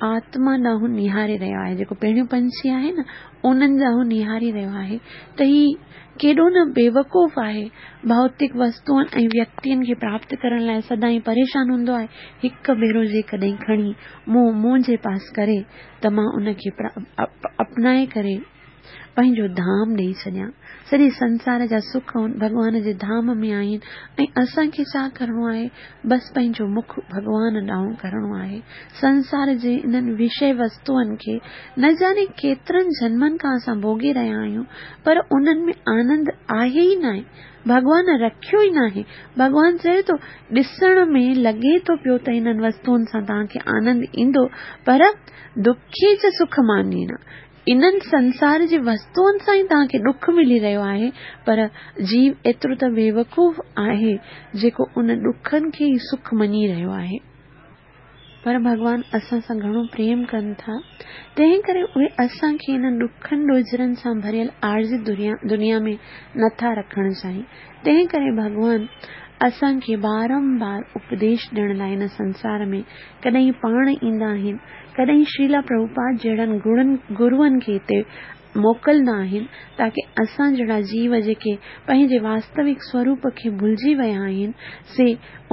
آتما ڏانهن نهاري رهيو آهي. جيڪو پهريون پنڇي آهي نه، انهن ڏانهن نهاري رهيو آهي ته هي ڪيڏو نه بيوقوف آهي. ڀوتڪ وستوئن ۽ ويڪتين کي پراپت ڪرڻ لاءِ سدائين پريشان هوندو آهي. هڪ ڀيرو جيڪڏهن کڻي مون منهنجي پاس ڪري ته مان ان کي اپنائي ڪري پنهنجو ڌام ڏيئي ڇڏيان. سڄي سنسار جا سک ڀڳوان جي ڌام ۾ آهن ۽ اسان کي ڇا ڪرڻو آهي؟ بس پنهنجو مک ڀڳوان ڏانهن ڪرڻو آهي. سنسار جي انهن وشيه وستوئن کي نه ڄاڻي ڪيترن جنمن کان اسان ڀوڳي رهيا آهيون، پر انهن ۾ آنند آهي ئي نه آهي. ڀڳوان رکيو ئي نه آهي. ڀڳوان چئي ٿو ڏسڻ ۾ لڳي ٿو پيو ته انهن وستوئن سان توهان کي آنند ايندو، پر دکي چ سک ماني نه. انهن سنسار جي وستوئن سان ئي توهان کي ڏک ملي رهيو آهي، پر جيو ايترو ته بيوقوف آهي جيڪو ان ڏکن کي ئي سک مڃي رهيو آهي. پر ڀڳوان اسان سان گهڻو پريم ڪن ٿا، تنهن ڪري اهي اسان کي انهن ڏکن ڏوجهرن سان ڀريل عارضي دنيا ۾ نٿا رکڻ چاهين. تنهن ڪري ڀڳوان اسان کي بارمبار اپديش ڏيڻ لاءِ هن سنسار ۾ ڪڏهن پاڻ ايندا آهن، ڪڏهن شريلا پرڀوپاد جهڙن گڻن گروئن کي هتي موڪلندا آهن، تاڪه اسان جهڙا جيو جيڪي پنهنجي واستوڪ سوروپ کي ڀلجي ويا آهن سي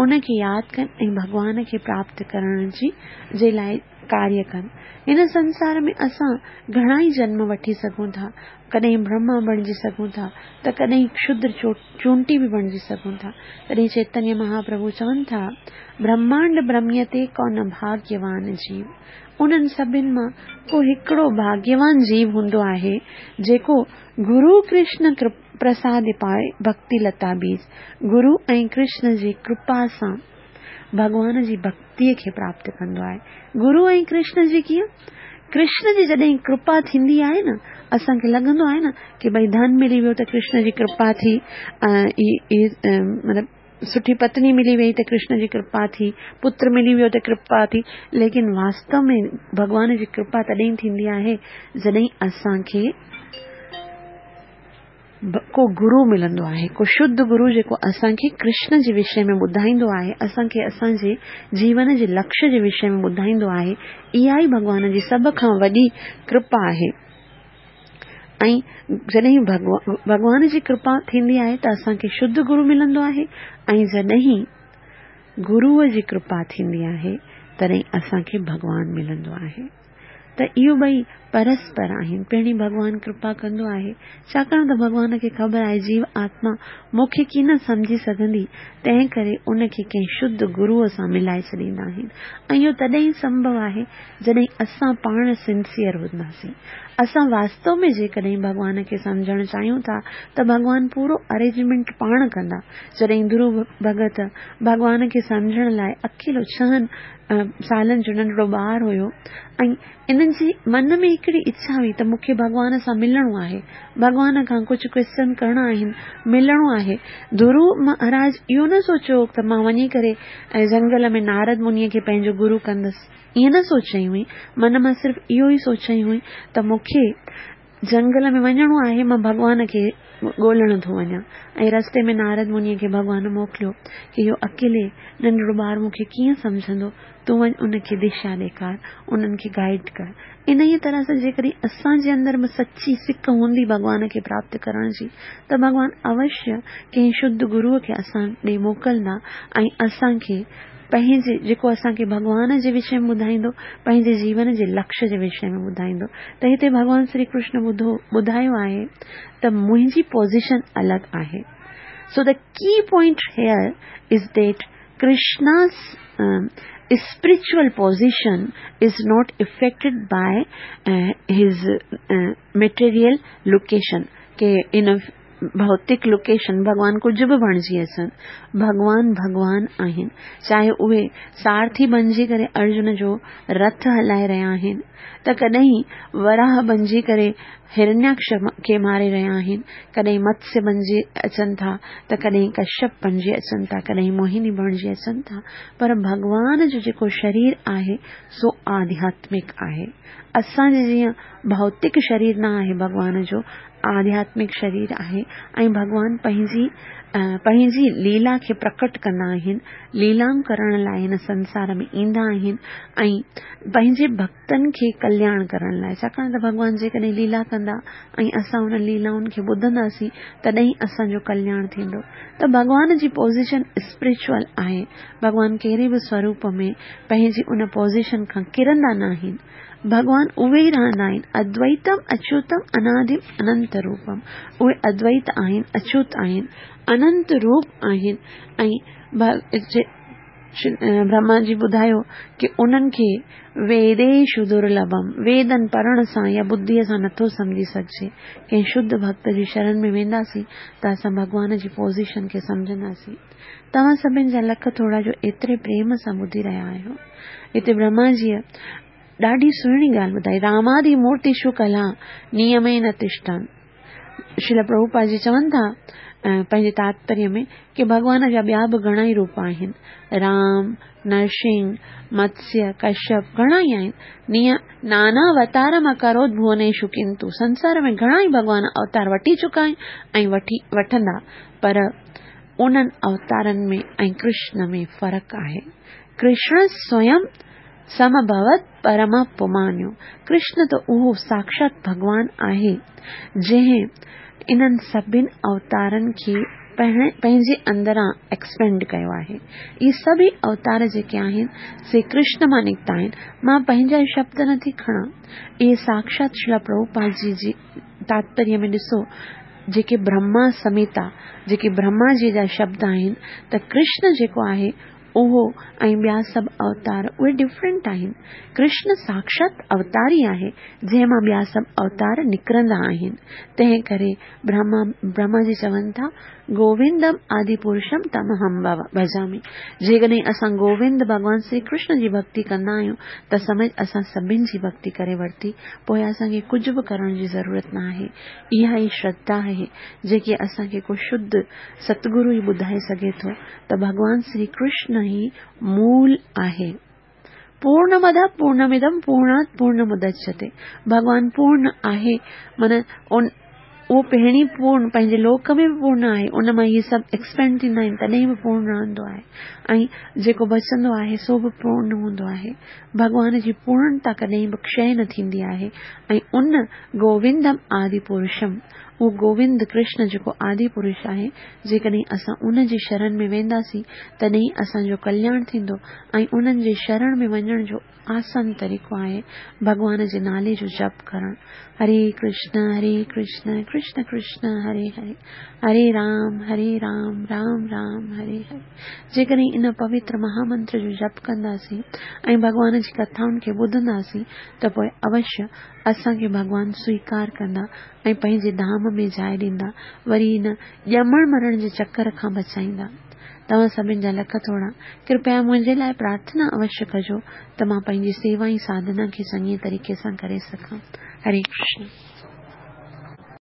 ان کي ياد ڪن ۽ ڀڳوان کي پراپت ڪرڻ جي جي لاءِ ڪاريه ڪن. هن سنسار ۾ اسان گهڻا ئي جنم وٺي سگهون ٿا. ڪڏهن برهما بڻجي سگهون ٿا ته ڪڏهن ڪشدر چونٽي به بڻجي سگهون ٿا. تڏهن چيتنيه مهاپرڀو چون ٿا، برهمانڊ برهميتي ڪونه ڀاگيوان جيو. انهن سڀن مان ڪو هڪڙو ڀاگيوان جيو هوندو آهي جيڪو گرو ڪرشن پرساد پائي ڀڪتي لتا بيج، گرو ۽ ڪرشن جي ڪرپا سان ڀڳوان جي ڀڪتيء کي پراپت ڪندو آهي. گرو ۽ ڪرشن جي ڪيئن؟ ڪرشن جي جڏهن ڪرپا ٿيندي آهي نه، اسان کي لڳندو آهي نه ڪي ڀئي ڌن ملي ويو ته ڪرشن جي ڪرپا ٿي، مطلب سٺي پتني ملي وئي ته ڪرشن جي ڪرپا ٿي، پتر ملي ويو ته ڪرپا ٿي، ليڪن واستو ۾ ڀڳوان جي ڪرپا تڏهن ٿيندي آهي جڏهن اسان کي ڪو گرو ملندو آهي، ڪو شڌ گرو جيڪو اسان کي ڪرشن جي وشي ۾ ٻڌائيندو آهي، اسان کي اسان جي جيون جي لڪشيه جي وشي ۾ ٻڌائيندو آهي. اها ئي ڀڳوان جي سڀ کان وڏي ڪرپا آهي. ۽ جڏهن ڀڳوان جي ڪرپا ٿيندي آهي ته اسان کي شڌ گرو ملندو آهي، ۽ جڏهن گروء جي ڪرپا ٿيندي آهي تڏهن اسان کي ڀڳوان ملندو آهي. ته اهو ٻئي پرسپر آهن. پهرين ڀڳوان ڪرپا ڪندو آهي، ڇاڪاڻ ته ڀڳوان کي خبر آهي جيو آتما مون کي ڪين سمجهي سگهندي، تنهن ڪري ان کي ڪنهن شڌ گروء سان ملائي ڇڏيندا آهن. ۽ اهو تڏهن سنڀو آهي جڏهن اسان پاڻ سنسيئر هونداسين. اسان واستو ۾ جيڪڏهن ڀڳوان کي سمجهڻ چاهيون ٿا ته ڀڳوان پورو ارينجمينٽ پاڻ ڪندا. جڏهن ڌرو ڀڳت ڀڳوان کي سمجهڻ لاءِ اڪيلو ڇهن سالن جو ننڍڙو ٻار هيو ۽ انهن جي من ۾ هڪڙي اڇا هئي ته مون کي ڀڳوان سان ملڻو آهي، ڀڳوان کان ڪجهه ڪوئسچن ڪرڻا آهن، ملڻو آهي. ڌرو مهاراج اهو نه سوچيو ته مان وڃي ڪري جنگل ۾ نارد منيءَ کي پنهنجو گرو ڪندس، ائين نه سوچيائين هئي. من مان صرف اهو ئي سوچيائين هئي ته مون کي جنگل ۾ وڃڻو آهي، مان ڀڳوان کي ڳولڻ ٿو وڃان. ۽ رستي ۾ نارد منيءَ کي ڀڳوان موڪليو ڪه اهو اڪيلي ننڍڙو ٻار مون کي ڪيئن سمجهندو، تون وڃ ان کي دشا ڏيکار، انهن کي گائيڊ ڪر. انهيء طرح سان جيڪڏهن اسان جي اندر ۾ سچي سڪ هوندي ڀڳوان کي پراپت ڪرڻ جي ته ڀڳوان اوشيه ڪنهن شڌ گروءَ کي اسان ڏي موڪلندا ۽ اسان کي پنهنجي جيڪو اسان کي ڀڳوان جي وشي ۾ ٻڌائيندو، پنهنجي جيون جي لڪشيه جي وشي ۾ ٻڌائيندو. ته هتي ڀڳوان شري ڪرشن ٻڌو ٻڌايو آهي ته منهنجي پوزيشن الڳ آهي. So the key point here is that Krishna's spiritual position is not affected by uh, his uh, material location. K in ڀوتڪ location ڀڳوان ڪجهه به بڻجي اچن، ڀڳوان ڀڳوان آهن. چاهي اهي سارٿي بڻجي ڪري ارجن جو رٿ هلائي رهيا آهن ته ڪڏهن وراهه بڻجي ڪري هرڻياڪش کي ماري رهيا آهن، ڪڏهن متسيه بڻجي اچن ٿا ته ڪڏهن ڪشيپ بڻجي اچن ٿا، ڪڏهن موهني بڻجي اچن ٿا، پر ڀڳوان جو جيڪو شرير آهي سو آڌياتمڪ آهي. اسان جي جيئن ڀوتڪ شرير نه آهي، ڀڳوان جو آڌياتمڪ شرير آهي. ۽ ڀڳوان پنهنجي پنهنجي ليلا کي پرڪٽ ڪندا آهن، ليلائون ڪرڻ لاءِ هن سنسار ۾ ايندا آهن ۽ پنهنجي ڀڪتن کي ڪلياڻ ڪرڻ لاءِ. ڇاڪاڻ ته ڀڳوان جيڪڏهن ليلا ڪندا ۽ اسان هن ليلائن کي ٻڌنداسين تڏهن اسان جو ڪلياڻ ٿيندو. ته ڀڳوان جي پوزيشن اسپرچوئل آهي. ڀڳوان ڪهڙي به سوروپ ۾ پنهنجي ان پوزيشن کان ڪرندا نه آهن. ڀڳوان اهي ئي رهندا آهن. ادويتم اچيوتم انادم اننت روپم. اهي ادويت آهن، اچيوت آهن، اننت روپ آهن. ۽ برهما جي ٻڌايو ڪه انهن کي ويديشو درلڀم، ويدن پڙهڻ سان يا ٻڌيءَ سان نٿو سمجهي سگهجي. ڪنهن شڌ ڀڪت جي شرڻ ۾ وينداسين ته اسان ڀڳوان جي پوزيشن کي سمجهنداسين. توهان سڀني جا لک ٿورا جو ايتري پريم سان ٻڌي رهيا آهيو. هتي برهما جيءَ ڏاڍي سهڻي ڳالهه ٻڌائي، رامادي مورتيشو ڪلا نيمي نه تشٽن. شريل پرڀوپاد جي چون ٿا پنهنجي تاتپريه ۾ ڪه ڀڳوان جا ٻيا به گهڻا ئي روپ آهن، رام، نرسنگهه، متسيه، ڪشيپ گهڻا ئي آهن. نيئن نانا اوتار مان ڪروت ڀونيشو ڪنتو، سنسار ۾ گهڻا ئي ڀڳوان اوتار وٺي چڪا آهن ۽ وٺي وٺندا، پر انهن اوتارن ۾ ۽ ڪرشن ۾ فرق آهي. ڪرشن سويم سمڀوت پرم پمانيو. ڪرشن ته اهو ساکشات ڀڳوان آهي جنهن انهن سڀني اوتارن کي پنهنجي اندران ايڪسپينڊ ڪيو آهي. اهي سڀئي اوتار جيڪي آهن سي ڪرشن مان نڪتا آهن. مان پنهنجا شبد نٿي کڻان، اهي ساڪشات شريلا پرڀوپاد جي جي تاتپريه ۾ ڏسو، جيڪي برهما سمهتا، جيڪي برهما جي جا شبد آهن ته ڪرشن جيڪو آهي اهو ۽ ٻيا سڀ اوتار اهي ڊفرنٽ آهن. ڪرشن ساڪشات اوتار ئي آهي جنهن مان ٻيا سڀ اوتار نڪرندا آهن. تنهن ڪري برهما برهما جي چون ٿا، گووندم آدي پرشم تمهم ڀجامي. جيڪڏهن اسان گووند ڀڳوان شري ڪرشن جي ڀڳتي ڪندا آهيون ته سمجهه اسان سڀن جي ڀڳتي ڪري ورتي، پوء اسان کي ڪجهه به ڪرڻ جي ضرورت نه آهي. اها ئي شرڌا آهي جيڪي اسان کي ڪو شڌ ستگرو ئي ٻڌائي سگهي ٿو ته ڀڳوان شري ڪرشن ئي مول آهي. پورنمد پورنمدم پورڻات پورنمدچتي. ڀڳوان پورن آهي، معنيٰ ان اهو پهرين پورن پنهنجي لوڪ ۾ به پورن آهي، ان مان اهي سڀ ايڪسپينڊ ٿيندا آهن تڏهن به پورن رهندو آهي، ۽ جيڪو بچندو آهي سو به پورن هوندو آهي. ڀڳوان جي پورنتا ڪڏهن به ڪشي نه ٿيندي آهي. ۽ ان گووندم آدي پرشم، اهو گووند ڪرشن جيڪو آدي پرش آهي، جيڪڏهن اسان ان جي شرڻ ۾ وينداسين تڏهن اسان جو ڪلياڻ ٿيندو. ۽ انهن جي شرڻ ۾ وڃڻ جو آسان طريقو آهي ڀڳوان جي نالي جو جپ ڪرڻ. هري ڪرشن هري ڪرشن ڪرشن ڪرشن هري هري، هري رام هري رام رام رام هري هري. جيڪڏهن ان پوتر مهامنتر جو جپ ڪنداسين ۽ ڀڳوان جي ڪٿائن کي ٻڌنداسين ته پوء اوشيه اسان کي ڀڳوان سويڪار ڪندا ۽ پنهنجي ڌام ۾ جاءِ ڏيندا، وري ان ڄمڻ مرڻ جي چڪر کان بچائيندا. توهان سڀن جا لک ٿورا. ڪرپيا منهنجي لاءِ پرارٿنا اوشيه ڪجو ته مان پنهنجي سيوا ۽ ساڌنا کي چڱي طريقي سان ڪري سگهان. هري ڪرشن.